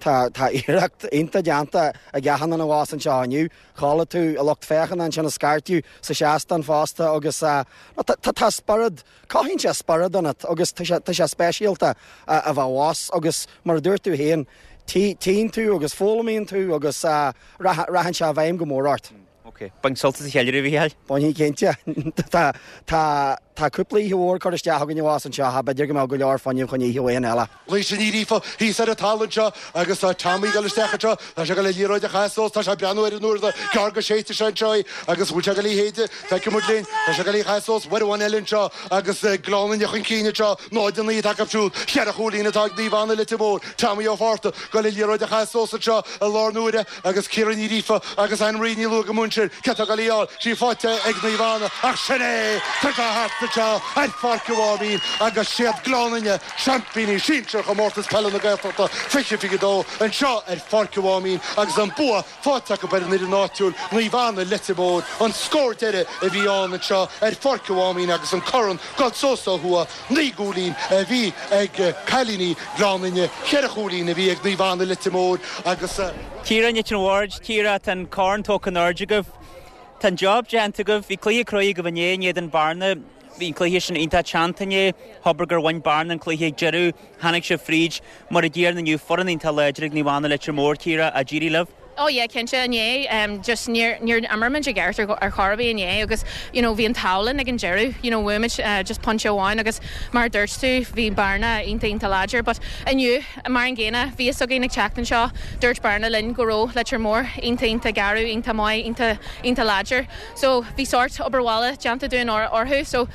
tá tá iarracht iontach déanta ag achan duine abhus anseo inniu. Chuala tú an lucht féachana ansin ag scairteadh sa seastán fosta agus tá tá tá spiorad, cothaíonn sé spiorad ionat agus tá sé tá sé speisialta a bheith abhus agus mar a dúirt tú féin, tí tíonn tú agus foghlaimíonn tú agus rachann sé i bhfeidhm go mór ort. Ok. Bain sult as an cheiliúradh, a Mhícheáil. Bainfidh cinnte. Tá, tá, tá cúpla oíche mhór curtha isteach againn abhus anseo, b'fhéidir go mbeadh go leor fuinnimh chun oíche amháin eile. Laoise Ní Ghríofa thíos ar an talamh anseo agus tá Tommy ag dul isteach anseo, tá sé ag dul an liathróid a chaitheamh suas, tá sé ag breathnú ar an uair gearr go séidfidh sé anseo í agus bhfuil sé ag dul í a shéideadh, feicfidh muid linn, tá sé ag dul í a chaitheamh suas, uair amháin eile anseo agus Gleann Fhinne chun cinn anseo, náid a naoi atá acu siúd, cheithre chúilín atá ag Naomh Anna Leitir Móir, Tommy Ó Fátharta ag dul an liathróid a chaitheamh suas anseo i lár na huaire agus Ciara Ní Ghríofa agus Anne Marie Ní Luaigh Munster, cé atá ag dul í a fháil, sí faighte ag Naomh Anna ach sin é, tá sé thart anseo ar Pháirc an Mháimín agus siad Gleann Fhinne, seaimpíní sinsir Chomórtas Peile na Gaeltachta fiche fiche dó anseo ar Pháirc an Mháimín agus an bua faighte acu ar an fhoireann áitiúil, Naomh Anna Leitir Móir, an scór deiridh a bhí ann anseo ar Pháirc an Mháimín agus an corn ag dul suas ó thuaidh, naoi gcúilín a bhí ag cailíní Ghleann Fhinne, ceithre chúilín a bhí ag Naomh Anna Leitir Móir agus. Ciara Nic an Bhaird, Ciara, tá an corn tógtha in airde agaibh. Tá an job déanta agaibh. Bhí cluiche cruaidh agaibh inné in éadan Bearna. Bhí an cluiche sin iontach teannta inné. Abair gur bhain Bearna an cluiche ag deireadh. Tháinig sibh fríd. Mar a gcéanna inniu, foireann iontach láidir ag Naomh Anna Leitir Móir, Ciara, ach d'éirigh libh. Oh yeah, cinnte, inné, um, just níor, níor imir muid i gceart ar, ar chor ar bith inné agus, you know, bhí an t-ádh linn ag an deireadh, you know, bhuaigh muid uh, just pointe amháin agus mar a dúirt tú, bhí Bearna iontach iontach láidir, but inniu, mar an gcéanna, bhí fhios againn ag teacht anseo, dúirt Bearna linn go raibh Leitir Móir iontach iontach garbh, iontach maith, iontach iontach láidir. So bhí sórt obair bhaile déanta dúinn orthu, so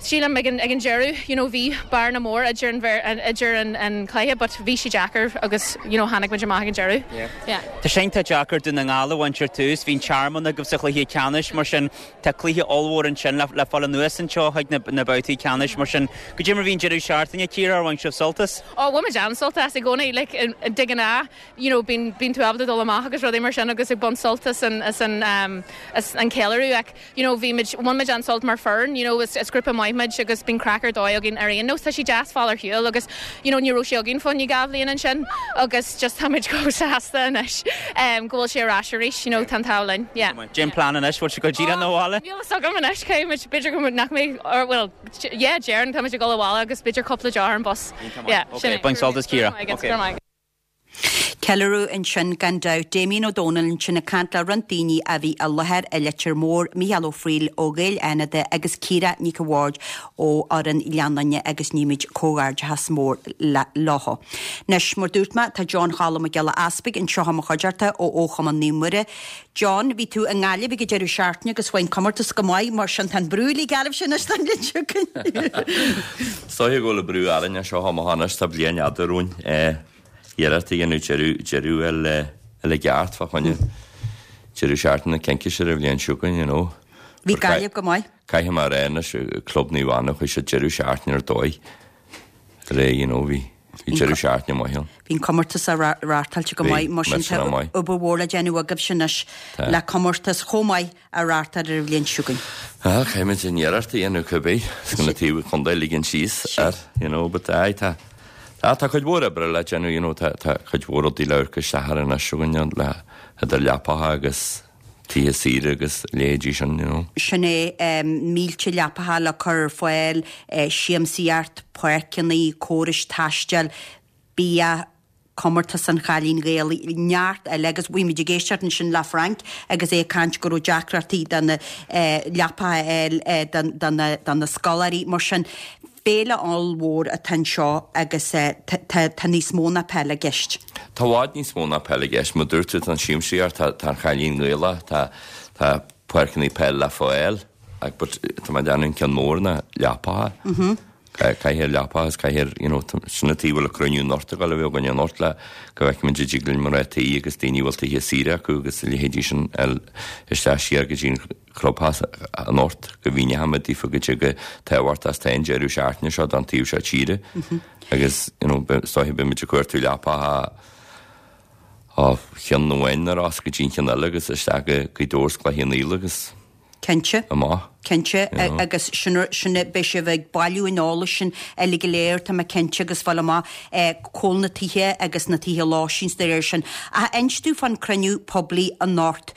sílim ag an, ag an deireadh, you know, bhí bearna mór idir an, an, idir an, an cluiche, but bhí sé deacair agus, you know, tháinig muid amach ag an deireadh. Yeah. Yeah. Tá sé iontach deacair Dún na nGall a bhaint ar tús, bhí an Tearmann agaibh sa chluiche ceannais, mar sin tá cluiche ollmhór ansin le, le fáil anuas anseo chuig na, na babhtaí ceannais, mar sin goidé mar bhí an deireadh seachtaine, Ciara, ar bhain sibh sult as? Oh, bhain muid an-sult as i gcónaí, like, de ghnáth, you know, bíonn, bíonn tú ábalta dul amach agus rudaí mar sin agus ag baint sult as an, as an, um, as an ceiliúradh ach, you know, bhí muid, bhain muid an-sult mar foireann, you know, is, is grúpa maith muid agus bíonn craic ar dóigh againn ar aon nós, tá sé deas fáil ar shiúl agus, you know, ní raibh sé againn fá choinne dhá bhliain ansin agus just tá muid chomh sásta anois um, go bhfuil sé ar ais arís, you know, tá an t-ádh linn, yeah. Cén plean anois, bhfuil sibh ag dul díreach 'na bhaile? Níl fhios agam anois, caithfidh muid, b'fhéidir go nach mbeidh, or, well, yeah, déarfainn, tá muid ag dul abhaile agus b'fhéidir cúpla deoch ar an bus. Yeah, Ok, sin é. bain sult as Ciara. Go raibh maith agat, Ok. go raibh maith agat. Ceiliúradh ansin gan dabht. Damien Ó Dónaill ansin ag caint le roinnt daoine a bhí i láthair i Leitir Móir, Mícheál Ó Frighil ó Ghaeil Fhánada agus Ciara Nic an Bhaird ó fhoireann Ghleann Fhinne agus nímid comhghairdeachas mór leo. Anois, mar dúirt mé, tá John Choilm Mac Giolla Easpaig anseo i mo chuideachta ó ó Chumann Naomh Muire. John, bhí tú i nGaillimh ag an deireadh seachtaine agus bhain comórtas go maith mar sin tá an brú le Gaillimh sin anois don bhliain seo chugainn. Is dóiche go bhfuil an brú orainn seo amach anois tá bliain fhada romhainn iarracht a dhéanamh deireadh deireadh eile eile ceart fá choinne deireadh seachtaine cinnte ar an bhliain seo chugainn, you know. Bhí Gaillimh go maith. Caithfidh mé a rá anois Club Naomh Anna chuaigh siad deireadh seachtaine ar dóigh ré you know bhí bhí deireadh seachtaine maith ann. Bhí an comórtas á reáchtáilte go Bhí, maith mar sin meas tá maith. obair mhór le déanamh agaibh sin anois Tá. le comórtas chomh maith a reáchtáil ar an bhliain seo chugainn. Ah, caithfimid an iarracht a dhéanamh cibé 's go na taobh chontae ligean síos ar you know but aye tá tá tá cuid mhór oibre le déanamh you know tá tá cuid mhór rudaí le amharc isteach ar anois againn le idir leapacha agus tithe saoire agus leithéidí sin you know. Sin é um, mílte leapacha le cur ar fáil, eh, siamsaíocht, páirceanna, córais taistil, bia, comórtas an Chailín Ghaelaigh neart eile agus bhí muid ag éisteacht ansin le Frank agus é ag caint go raibh deacrachtaí do na eh, leapacha eile eh, do do na do na scoláirí mar sin féile ollmhór atá anseo agus eh, tá tá- tá níos mó ná peil i gceist. Tá i bhfad níos mó ná peil i gceist, mar dúirt tú tá an siamsaíocht tá tá an Chailín Gaelach tá tá páirceanna peil le fáil ach but tá mé déanamh ceann mór na leapacha. Mhm. Caithfidh leapa agus caithfidh, you know, sin an tuige a bhfuil an cruinniú anocht ag dul a bheith againn anocht le go bhfeicfimid an dtig linn mná tí agus daoine a bhfuil tithe saoire acu agus a leithéidí sin a fháil isteach siar go dtí an clubtheach anocht go mhíneochaimid daofa goidé chomh tábhachtach is atá an deireadh seachtaine seo don taobh seo tíre agus, you know, is dóiche beimid ag cuartú leapacha ó cheann amháin na Rosann go dtí an ceann eile agus isteach go Gaoth Dobhair is Cloich Cheann Fhaola agus Cinnte. amach. Cinnte, agus sin sin beidh sibh ag bailiú an eolais sin uilig go léir, tá mé cinnte, agus fáil amach cá bhfuil na tithe agus na tithe lóistín is dá réir sin. Ach inis domh fán cruinniú poiblí anocht.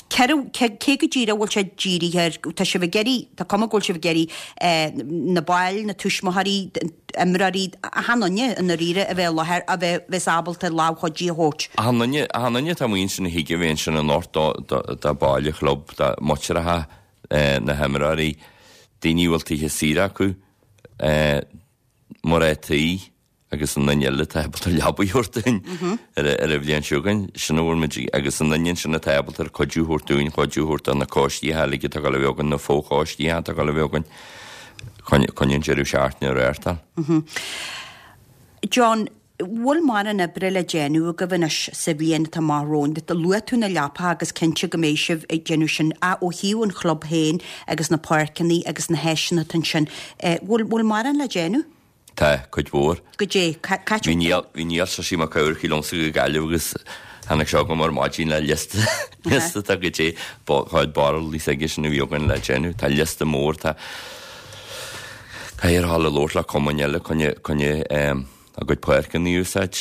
Cé cé go díreach a bhfuil sé dírithe air? Tá sibh ag iarraidh, tá cuma go bhfuil sibh ag iarraidh na baill, na tuismitheoirí, imreoirí, achan duine i ndáiríre a bheith i láthair, a bheith bheas ábalta lámh chuidí a thabhairt. Achan duine, achan duine atá amuigh ansin a thig a bheith ansin anocht do, do, do baill an chlub, do muintireacha na himreoirí, daoine a bhfuil tithe saoire acu, mná tí agus an duine eile atá ábalta leaba a thabhairt dúinn ar ar an bhliain seo chugainn, sin a bhfuil muid agus an duine sin atá ábalta ar cuidiú a thabhairt dúinn, cuidiú a thabhairt do na coistí uilig atá ag dul a bheith againn, na fochoistí atá ag dul a bheith againn, chun an deireadh seachtaine a reáchtáil. John, bhfuil mórán oibre le déanamh agaibh anois sa bhliain atá amach romhainn? Luaigh tú na leapacha agus cinnte go mbeidh sibh ag déanamh sin ach ó thaobh an chlub féin agus na páirceanna agus na háiseanna atá ansin, bhfuil bhfuil mórán le déanamh? Tá, cuid mhór. Goidé, cá Bhí Niall, bhí Niall Sisí Mac Eamharchaigh liomsa go Gaillimh agus tháinig sé chugam ar maidin le liosta, liosta tá goidé chuid barúlaí s'aige sin a bhí againn le déanamh. Tá liosta mór, tá caithfear a dhul ag labhairt le cumainn eile coinne, coinne a gcuid páirceanna a úsáid.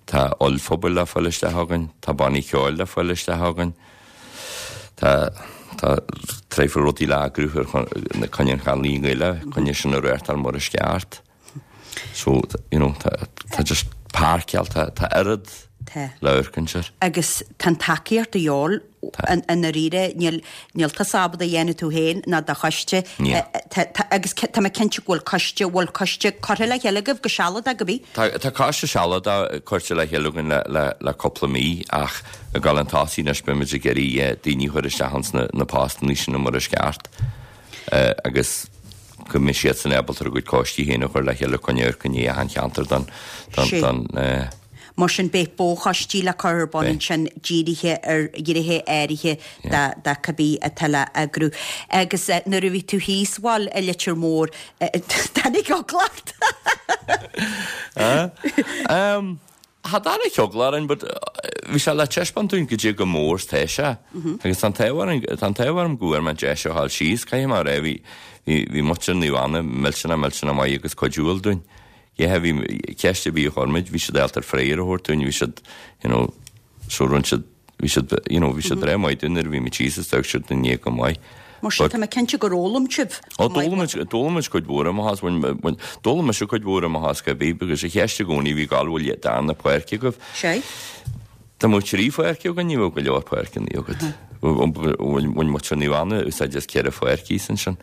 Tá ollphuball le fáil isteach againn, tá bannaí ceoil le fáil isteach againn. Tá, tá traidhfil rudaí le eagrú ar coinne an Chaitlín Ghaelach, coinne sin a reáchtáil mar is ceart. So, you know, tá, tá just páirceáil, tá, tá oiread Tá. le amharc air. Agus tá an tacaíocht de dhíobháil i ndáiríre, níl, níl tusa ábalta a dhéanamh tú féin ná do choiste. Níl. Tá, tá, agus tá mé cinnte go bhfuil coiste, bhfuil coiste curtha le chéile agaibh go sealadach, ab ea? Tá, tá coiste sealadach curtha le chéile againn le, le, le cúpla mí ach ag dul chun tosaigh anois beimid ag iarraidh daoine a chur isteach ins na, na postanna sin mar is ceart agus go mbeidh siadsan ábalta a gcuid coistí féin a chur le chéile chun amharc i ndiaidh achan cheantar don, don, don, eh. Mar sin beidh fochoistí le cur ar bun ansin dírithe ar ghnéithe áirithe de, de cibé atá le eagrú. Agus nuair a bhí tú thíos, bhuel, i Leitir Móir, tháinig eagla ort? Em, Cha dtáinig eagla orainn but bhí sé le taispeáint dúinn goidé chomh mór is tá sé. Agus tá an t-ádh orainn, tá an t-ádh orm go bhfuair mé an deis a ghabháil síos, caithfidh mé a rá, bhí, bhí, bhí muintir Naomh Anna millteanach, millteanach maith agus cuidiúil dúinn. Yeah, bhí, ceist ar bith a chuir muid, bhí siad ábalta freagra a thabhairt dúinn, bhí siad, you know, so rinne siad, bhí siad, you know, bhí siad breá maith dúinn nuair a bhí muid síos is d'amharc siad inár ndiaidh go maith. Mar sin, tá mé cinnte gur fhoghlaim sibh. Ó, d'fhoghlaim muid, d'fhoghlaim muid cuid mhór amach as, bhain, bhain, d'fhoghlaim mise cuid mhór amach as cibé, because an cheist i gcónaí bhí gal bhfuil darna páirc agaibh. Sé. Dá mbeadh trí pháirc againn, ní bheadh go leor páirceanna agat. Bhain muintir Naomh Anna úsáid as ceithre pháirc thíos ansin.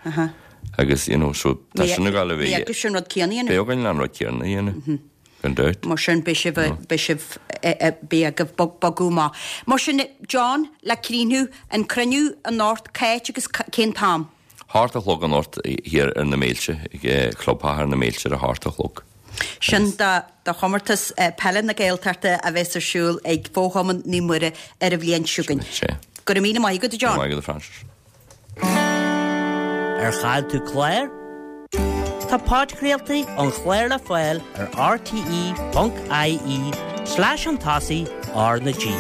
Agus, you know, so, tá sin ag dul a bheith. Bhí agaibh sin rud céanna a dhéanamh. Beidh againn an rud céanna a dhéanamh. Gan dabht. Mar sin, beidh sibh, beidh sibh, beidh agaibh bogadh amach. Mar sin, John, le críochnú, an cruinniú anocht, c'áit agus cén t-am? Hocht a chlog anocht thiar ar na Méilte, ag Clubtheach ar na Méilte ar a hocht a chlog. Sin do do chomórtas peile na Gaeltachta a bheas ar siúl ag Fo-Chumann Naomh Muire ar an bhliain seo chugainn. Sea. Go raibh míle maith agat, a John. Go raibh maith agat, a Frances. Ar chaill tú clár? Tá podchraoltaí an chláir le fáil ar rte ponc ie slash chun tosaigh R na G.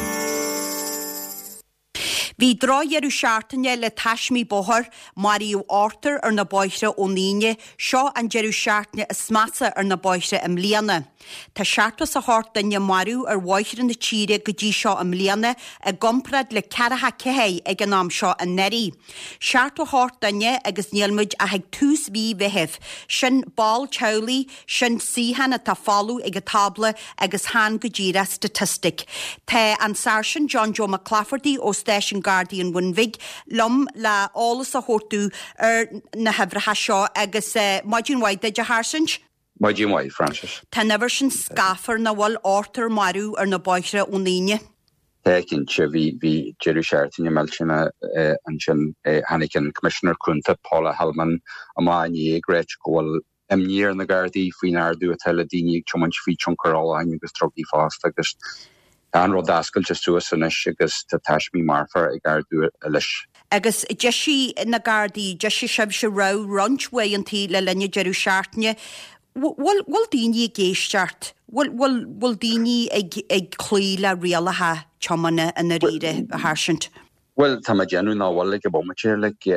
Bhí drochdheireadh seachtaine le taismí bóthair, maraíodh ochtar ar na bóithre ón Aoine, seo an deireadh seachtaine is measa ar na bóithre i mbliana. Tá seachtó is a hocht duine marbh ar bhóithre na tíre go dtí seo i mbliana i gcomparáid le ceathracha ceathair ag an am seo anuraidh. Seachtó a hocht duine agus níl muid ach ag tús mhí Mheithimh. Sin ball teaghlaigh, sin suíochán atá folamh ag an tábla agus chan go díreach staitistic. Tá an Sáirsint John Joe Mac Claifertaigh ó Stáisiún Gardaí an Bhun Bhig liom le eolas a thabhairt domh ar na huimhreacha seo agus maidin mhaith duit a Sháirsint. Maidin mhaith, Frances. Tá an uimhir sin scáfar nach bhfuil ochtar marbh ar na bóithre ón Aoine. Tá cinnte bhí bhí deireadh seachtaine millteanach ansin tháinig an Coimisinéir Cúnta Paula Hillman amach inné ag ráit go bhfuil imní ar na Gardaí faoin ardú atá le daoine ag tiomáint faoi tionchar ólacháin agus drugaí fosta agus tá an rud oscailte suas anois agus tá taismí marfa ag ardú leis. Agus d'eisigh na Gardaí, d'eisigh sibhse rabhadh roinnt uaireantaí le linn an deireadh seachtaine. Bhfuil bhfuil daoine ag éisteacht? Bhfuil bhfuil bhfuil daoine ag ag cloí le rialacha tiomána i ndáiríre, a Sháirsint? Bhuel, tá mé ag déanamh nach bhfuil ag an bomaite, like,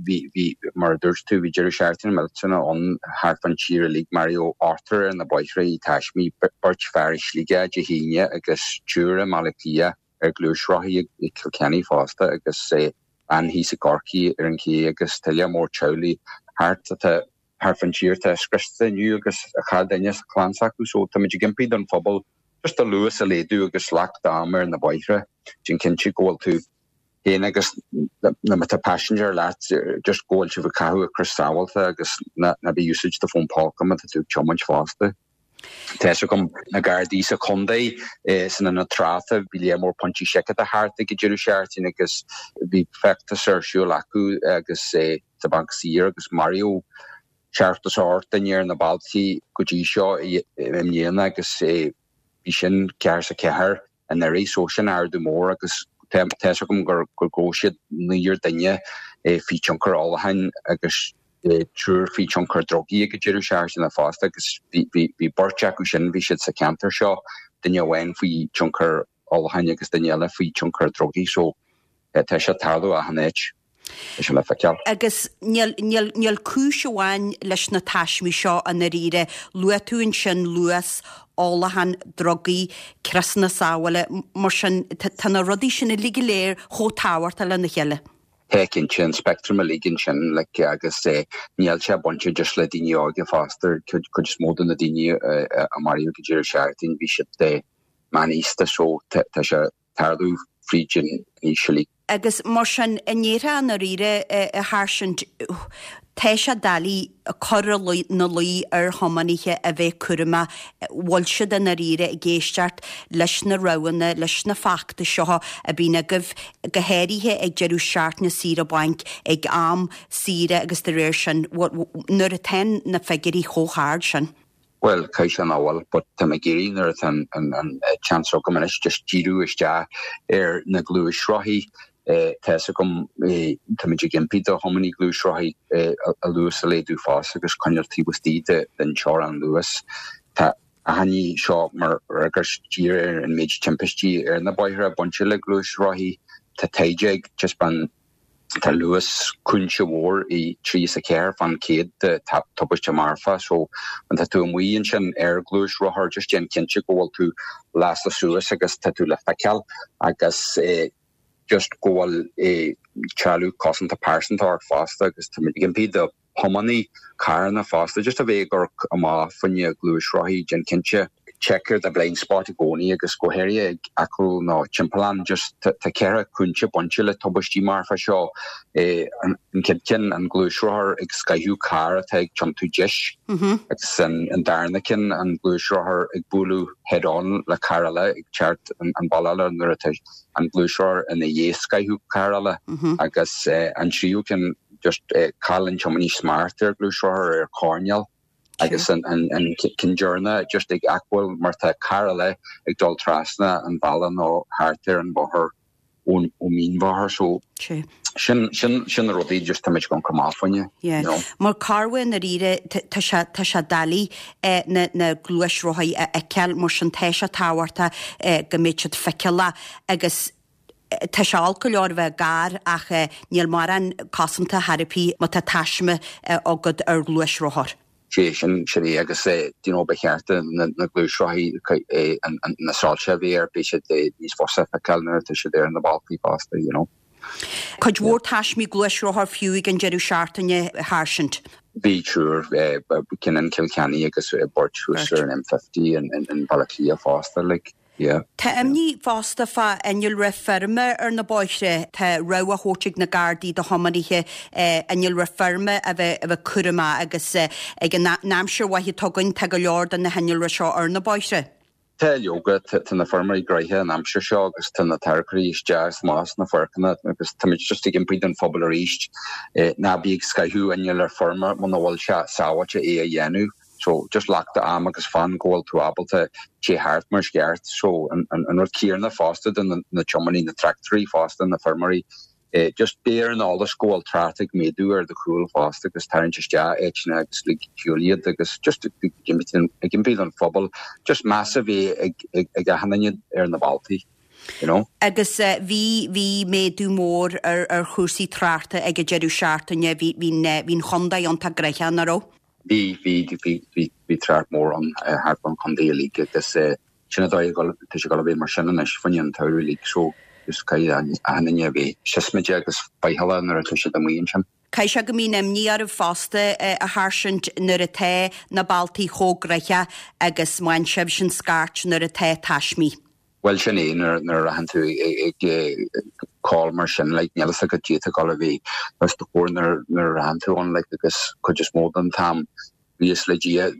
bhí, bhí, mar a dúirt tú, bhí deireadh seachtaine millteanach ann thart fán tír uilig, maraíodh ochtar ar na bóithre i taismí, beirt fear i Sligeach Dé hAoine agus triúr i mBaile Átha Cliath ar ghluaisrothaí i Kilkenny fosta agus bean thíos i gCorcaigh ar an ché agus tuilleadh mór teaghlaigh thart atá thart fán tír atá scriosta inniu agus a chaill duine sa chlann s'acu so táimid ag impí don phobal just a luas a laghdú agus lucht ama ar na bóithre, déan cinnte go bhfuil tú féin agus na má tá passenger leat just go bhfuil sibh ag caitheamh crios sábháilte agus ná bí ag úsáid do fón póca má tá tú ag tiomáint fosta. Tá fhios agam na Gardaí sa chontae san ionad tráchta bhí léar mór pointí seiceála thart ag an deireadh seachtaine agus bhí feachtas ar siúl acu agus sa Bhanc Saor agus maraíodh seachtó is a hocht duine ar na bealtaí go dtí seo i mbliana agus bhí sin ceathair is a ceathair anuraidh so sin ardú mór agus tá fhios agam gur gur ghabh siad naonúr duine faoi tionchar ólacháin agus triúr faoi tionchar drugaí ag an deireadh seachtaine fosta agus bhí bhí bhí beirt acu sin bhí siad sa cheantar seo duine amháin faoi tionchar ólacháin agus duine eile faoi tionchar drugaí so tá sé ag tarlú achan áit. Tá sé le feiceáil. Agus níl, níl, níl cúis amháin leis na taismí seo i ndáiríre. Luaigh tú ansin luas, ólachán, drugaí, criosanna sábhála, mar sin tá na rudaí sin uilig go léir chomh tábhachtach lena chéile. Tá cinnte, an speictream uilig ansin like agus níl sé bainte just le daoine óga fosta, cuid is mó de na daoine a maraíodh ag an deireadh seachtaine bhí siad meánaosta so tá sé tarlú fríd an aois uilig. Agus mar sin, an ndéarfá i ndáiríre, a Sháirsint, tá sé doiligh cur ina luí ar thiománaithe a bheith cúramach, bhfuil siad i ndáiríre ag éisteacht leis na rabhanna, leis na feachtais seo a bhíonn agaibh, go háirithe ag deireadh seachtaine saoire bainc, ag am saoire agus de réir sin, nuair atá na figiúirí chomh hard sin. Bhuel, caithfidh sé nach bhfuil, but tá mé ag iarraidh nuair atá an chance agam anois just díriú isteach ar na gluaisrothaí. Tá fhios agam, táimid ag impí do thiománaí gluaisrothaí a luas a laghdú fosta agus coinneáil taobh istigh den teorainn luais. Tá achainí seo mar fhreagairt díreach ar an méid timpistí ar na bóithre bainte le gluaisrothaí. Tá taighde ag taispeáint Tá luas cúinse mhór i trí is a ceathair fán chéad de tubaiste marfa so má tá tú amuigh ansin ar ghluaisrothar just déan cinnte go bhfuil tú lasta suas agus tá tú le feiceáil agus just go bhfuil trealamh cosanta pearsanta ort fosta agus tá muid ag impí do thiománaí carranna fosta just a bheith ag amharc amach fá choinne gluaisrothaí déan cinnte check ar do blind spot i gcónaí agus go háirithe ag acomhal nó timpeallán just tá ceithre cúinse bainte le tubaistí marfa seo an chéad ceann an gluaisrothar ag scoitheadh carr atá ag tiontú deis agus an darna ceann an gluaisrothar ag bualadh head on le carr eile ag teacht an bealach eile nuair atá an gluaisrothar ina dhiaidh scoitheadh carr eile agus an tríú ceann just cailleann tiománaí smacht ar ghluaisrothar ar choirnéal. Agus an ceann deireanach just ag acomhal mar tá carr eile ag dul trasna an bhealaigh nó thart ar an bhóthar ón mínbhóthar so sin sin sin na rudaí just tá muid ag amharc amach fá choinne. Yeah. Mar corruair i ndáiríre tá sé tá sé doiligh na na gluaisrothaí a fheiceáil mar sin tá sé tábhachtach go mbeidh siad feiceálach agus Tá sé olc go leor a bheith gar ach níl mórán cosanta ar bith má tá taisme agat ar ghluaisrothar. Sé sin, sin é agus you know ba cheart do na gluaisrothaí na soilse a bheith air, beidh siad níos fusa a fheiceáil nuair atá siad ar na bealtaí fosta, you know. Cuid mhór taismí gluaisrothar fiú ag an deireadh seachtaine, a Sháirsint. Bhí triúr, ceann in Cill Chainnigh agus beirt thuas ar an M fifty in Baile Átha Cliath fosta, like. Yeah. Tá imní fosta fá innealra feirme ar na bóithre. Tá rabhadh á thabhairt ag na Gardaí do thiománaithe innealra feirme a bheith a bheith cúramach agus ag an aimsir mhaith atá againn tá go leor de na hinnealra seo ar na bóithre. Tá leoga tá na feirmeoirí gnoitheach an aimsir seo agus tá na tarracóirí isteach is amach sna páirceanna agus táimid just ag impí don phobal arís ná bí ag scaitheamh inneall ar feirm muna bhfuil sé sábháilte é a dhéanamh. So just glac do am agus fan go bhfuil tú ábalta téigh thart mar is ceart. So an an rud céanna fosta do na tiománaí na tractóirí fosta na feirmeoirí Just bí ar an eolas go bhfuil trácht ag méadú ar do chúl fosta agus tarraingt isteach áiteanna agus lig shiúl iad agus just ag impí don phobal just meas a bheith ag ag achan duine ar na bealtaí, you know. Agus bhí bhí méadú mór ar ar chúrsaí tráchta ag an deireadh seachtaine, bhí bhí bhí an chontae iontach gnoitheach, nach raibh? Bhí bhí bhí bhí bhí trácht mór ann thart fán chontae uilig agus sin an dóigh tá sé ag dul a bheith mar sin anois fá choinne an tsamhraidh uilig so just caithfidh achan duine a bheith siosmaideach agus faichilleach nuair atá siad amuigh ansin. Caithfidh sé go mbíonn imní oraibh fosta, a Sháirsint, nuair atá na bealtaí chomh gnoitheach agus má fhaigheann sibhse an scairt nuair atá taismí. Bhuel sin é nuair nuair a rachann tú ag call mar sin like níl fhios agat caidé atá ag dul a bheith os do chomhair nuair nuair a rachann tú ann like agus cuid is mó den t-am buíochas le Dia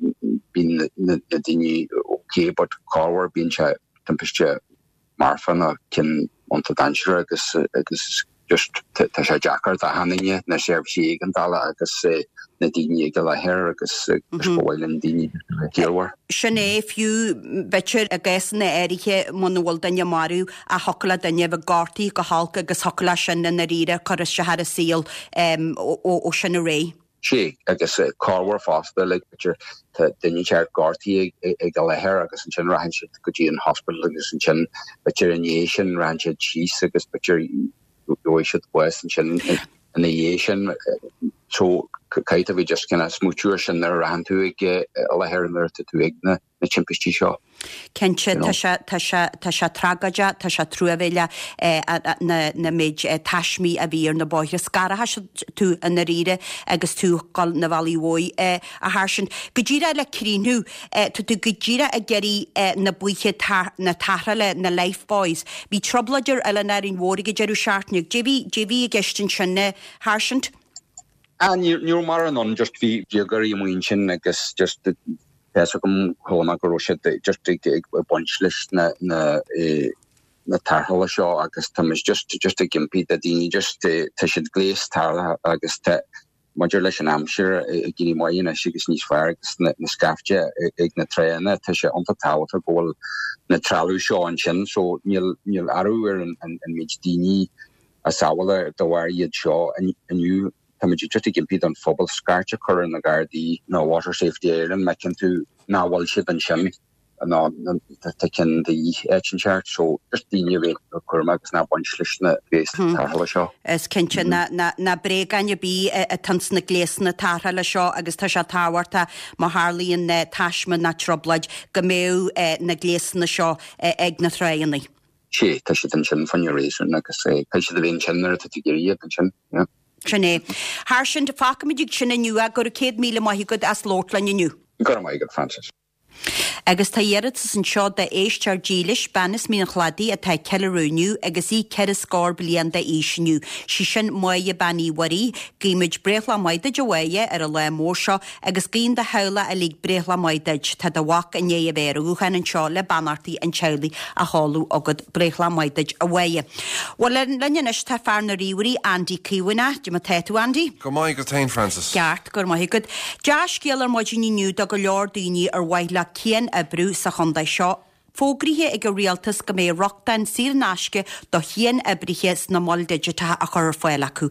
bíonn na daoine ok but corruair bíonn sé timpiste marfa nó ceann iontach dainséarach agus agus just tá sé deacair d'achan duine, na seirbhísí éigeandála agus na daoine ag an láthair agus agus ba mhaith linn daoine a bheith ciallmhar. Sin é, fiú b'fhéidir i gcásanna áirithe muna bhfuil duine marbh ach thiocfadh le duine a bheith gortaithe go holc agus thiocfadh leis sin i ndáiríre cur isteach ar a saol ó sin ar aghaidh. Sea, agus corruair fosta, like, b'fhéidir tá duine inteacht gortaithe ag an láthair agus ansin rachann siad go dtí an hospital agus ansin b'fhéidir i ndiaidh sin rachann siad síos agus b'fhéidir gheobhaidh siad bás ansin ina dhiaidh sin. So caithfidh tú a bheith just kind of smaoitiú ar sin nuair a rachann tú ag an láthair nuair atá tú ag na na timpistí seo. Cinnte, tá sé, tá sé, tá sé tragóideach, tá sé truamhéileach na, na méid taismí a bhí ar na bóithre. Scarfaidh sé tú i ndáiríre agus tú ag dul na bealaigh uaidh, a Sháirsint. Go díreach le críochnú, tá tú go díreach ag iarraidh na baoithe na tarrthála, na lifebuoys. Bhí trioblóid ar Oileán Árainn Mhór ag an deireadh seachtaine. Caidé bhí, caidé bhí i gceist ansin, a Sháirsint? Ah, ní, ní raibh mórán ann, just bhí déagóirí amuigh ansin agus just tá fhios agam chuala mé go raibh siad just ag ag baint leis na na na tarrthála seo agus tá muid just just ag impí do daoine just tá siad gléas tarrthála agus tá maidir leis an aimsir ag éirí maith anois agus níos fearr agus na na scaifte ag na tránna tá sé iontach tábhachtach go bhfuil na trealamh seo ansin so níl níl athrú ar an an an méid daoine a sábháladh de bharr iad seo inniu. Táimid just ag impí don phobal scairt a chur ar na Gardaí nó Water Safety Ireland má fheiceann tú nach bhfuil siad ansin nó tá ceann de dhíth áit inteacht so just daoine a bheith cúramach agus ná baint leis na gléasanna tarrthála seo. Is cinnte ná bréagáin ar bith atá ins na gléasanna tarrthála seo agus tá sé tábhachtach má tharlaíonn taisme ná trioblóid go mbeadh na gléasanna seo ag na tránna. Sea, tá siad ansin for a reason agus caithfidh siad a bheith ansin nuair atá tú ag iarraidh iad ansin, yeah. Sin é. Sháirsint, fágfaimid ag sin inniu é, go raibh céad míle maith agat as labhairt linn inniu. Go raibh maith agat, Frances. Agus tá iarratas anseo d'éisteoir dílis, bean as Mín an Chladaigh atá ag ceiliúradh inniu agus í ceithre scór bliain d'aois inniu. Sí sin Máire Bean Uí Mhuirí. Guímid breithlá maith duit a Mháire ar an lá mór seo agus guíonn do theaghlach uilig breithlá maith duit. Tá do mhac i ndiaidh a bheith ar an ghuthán anseo le beannachtaí an teaghlaigh a sheoladh chugat. Breithlá maith duit a Mháire. Bhuel linn anois tá fear na ríomhairí, Andy Caomhánach. Cad é mar tá tú Andy? Go maith agat féin Frances. Ceart, go raibh maith agat. Dea-scéal ar maidin inniu do go leor daoine ar mhaith leo cian-oibriú sa chontae seo. Fógraithe ag an Rialtas go mbeidh rochtain saor in aisce do chian-oibrithe sna moil digiteacha á chur ar fáil acu.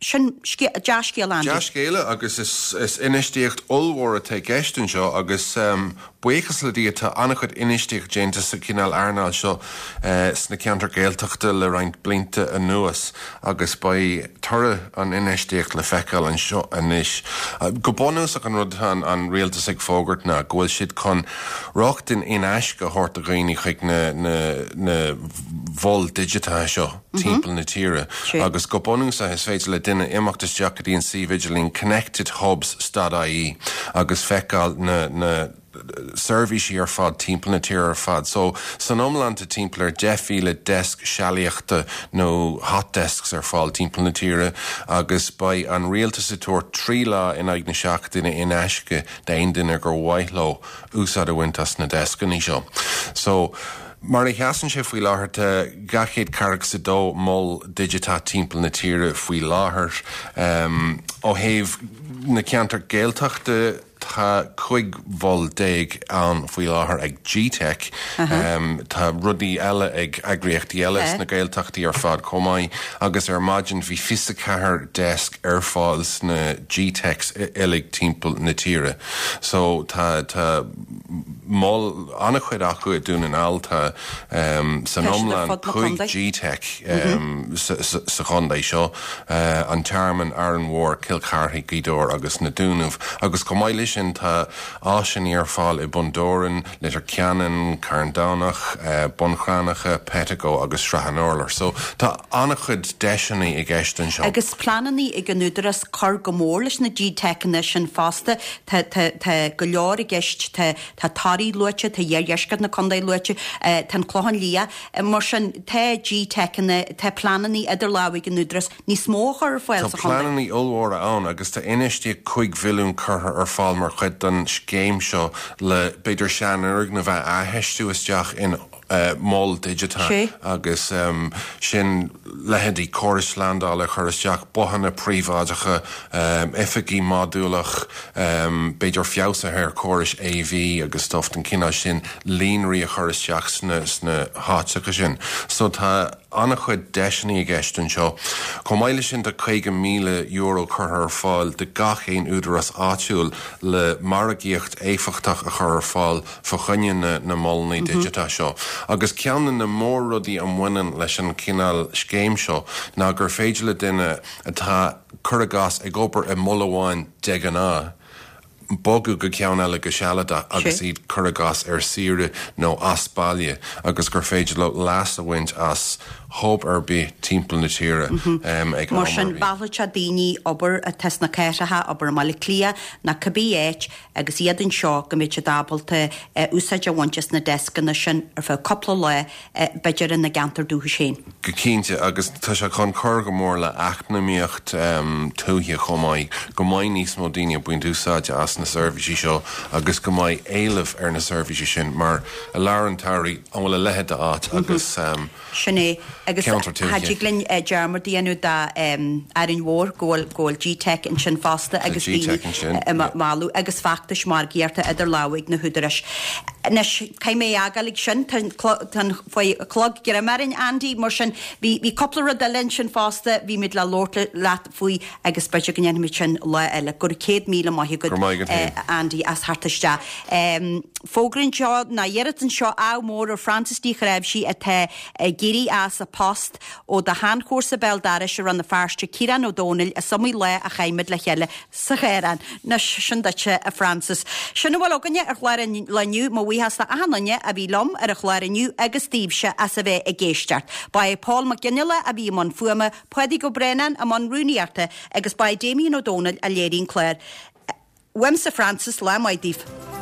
Sin dea-scéal Andy. Dea-scéala agus is infheistíocht ollmhór atá i gceist anseo agus buíochas le Dia tá an-chuid infheistíocht déanta sa chineál earnáil seo sna ceantair Gaeltachta le roinnt blianta anuas agus beidh toradh an infheistíocht le feiceáil anseo anois. Go bunúsach an rud atá an rialtas ag fógairt ná go bhfuil siad chun rochtain in aisce a thabhairt do dhaoine chuig na na mhoil digiteacha seo timpeall na tíre agus go bunúsach is féidir le duine imeacht isteach go dtí an suíomh idirlín connectedhubs dot ie agus feiceáil na na seirbhísí ar fad timpeall na tíre ar fad. So san iomlán tá timpeall ar deich mhíle deasc sealaíochta nó hot desks ar fáil timpeall na tíre agus beidh an rialtas ag tabhairt trí lá in aghaidh na seachtaine in aisce d'aon duine gur mhaith leo úsáid a bhaint as na deascanna seo. So mar a sheasann sé faoi láthair tá dhá chéad ceathracha is a dó mol digiteach timpeall na tíre faoi láthair. Um, ó thaobh na ceantar Gaeltachta tá cúig mhol déag ann faoi láthair ag G-Teic. Um, tá rudaí eile ag eagraíochtaí eile sna Gaeltachtaí ar fad chomh maith agus ar maidin bhí fiche ceathair desk ar fáil sna G-Teics uilig timpeall na tíre. So tá tá mol an-chuid acu i Dún na nGall tá um, san iomlán cúig G-Teic um, sa, sa, sa chontae seo uh, an Tearmann Árainn Mhór, Cill Charthaigh, Gaoth Dobhair agus na Dúnaibh agus chomh maith leis sin tá áiseanna ar fáil i Bun Dobhráin, Leitir Ceanainn, Carn Domhnach, uh, Bun Cranncha, Pettigo agus Srath an Urláir. So tá an-chuid deiseanna i gceist anseo. Agus pleananna ag an údarás cur go mór leis na G-Teiceanna sin fosta tá tá tá go leor i gceist tá tá Toraigh luaite, tá iardheisceart na contae luaite, tá an Clochán Liath, mar sin tá G-Teiceanna, tá pleananna idir lámha ag an údarás níos mó a chur ar fáil Tá sa chontae. pleananna ollmhóra ann agus tá infheistíocht cúig bhilliún curtha ar fáil mar chuid den scéim seo le b'fhéidir seanfhoirgnimh a athfheistiú isteach in uh, mol digiteach Sé. agus um, sin leithéidí córais slándála a chur isteach bothanna príobháideacha, um, oifigí modúlach, um, b'fhéidir feabhsuithe ar córais AV agus stuff den chineál sin líonraí a chur isteach sna, sna háiteacha sin. So tá an-chuid deiseanna i gceist anseo. Chomh maith leis sin tá caoga míle euro curtha ar fáil do gach aon údarás áitiúil le margaíocht éifeachtach a chur ar fáil fá choinne na, na molanna mm -hmm. digiteacha seo. Agus ceann de na mórrudaí a bhaineann leis an cineál scéim seo ná gur féidir le duine atá cuir i gcás ag obair i mol amháin de ghnáth bogadh go ceann eile go sealadach agus iad cuir i gcás ar saoire nó as baile agus gur féidir leo leas a bhaint as hub ar bith timpeall na tíre um, ag Mar am sin ar bith. mheallfadh sé daoine obair atá sna cathracha obair i mBaile Átha Cliath nó cibé áit agus iad anseo go mbeidh siad ábalta eh, úsáid a bhaint as na deascanna sin ar feadh cúpla lá eh, b'fhéidir ina gceantar dúchais féin. Go cinnte agus tá sé chun cur go mór le eacnamaíocht um, tuaithe chomh maith go mbeidh níos mó daoine ag baint úsáide as na seirbhísí seo agus go mbeidh éileamh ar na seirbhísí sin mar i lár an tsamhraidh an bhfuil a leithéid d'áit agus um, Sin é agus Ceantar tuaithe. Cha dtig linn eh, dearmad a dhéanamh de Árainn Mhór go bhfuil go bhfuil G-Teic ansin fosta agus G-Teic daoine ansin, eh, ma- mealladh agus feachtais margaíochta idir lámha ag na húdaráis. Anois caithfidh mé fhágáil ag sin tá faoi chlog greim orainn Andy mar sin bhí bhí cúpla rud eile ansin fosta bhí muid le labhairt leat faoi agus b'fhéidir go ndéanfaimid sin lá eile go raibh céad míle maith agat Go raibh maith agat eh, féin. Andy as theacht isteach. Um, Fógra anseo ná iarracht anseo ádh mór ar Francis Ní Chreimhsí atá ag éirí as a post ó do sheanchomharsa béal dorais i Rann na Feirste Ciarán Ó Dónaill is iomaí lá a chaith muid le chéile sa Chaorán. Anois sin duitse a Francis. Sin a bhfuil againne ar chlár an lae inniu mo bhuíochas d'achan duine a bhí liom ar an chlár inniu agus daoibhse as a bheith ag éisteacht. Ba é Paul Mac Ginnele a bhí i mbun fuaime, Pádraig Ó Braonáin i mbun rúnaíochta agus ba é Damien Ó Dónaill a léirigh an clár. Uaimse Francis lá maith daoibh.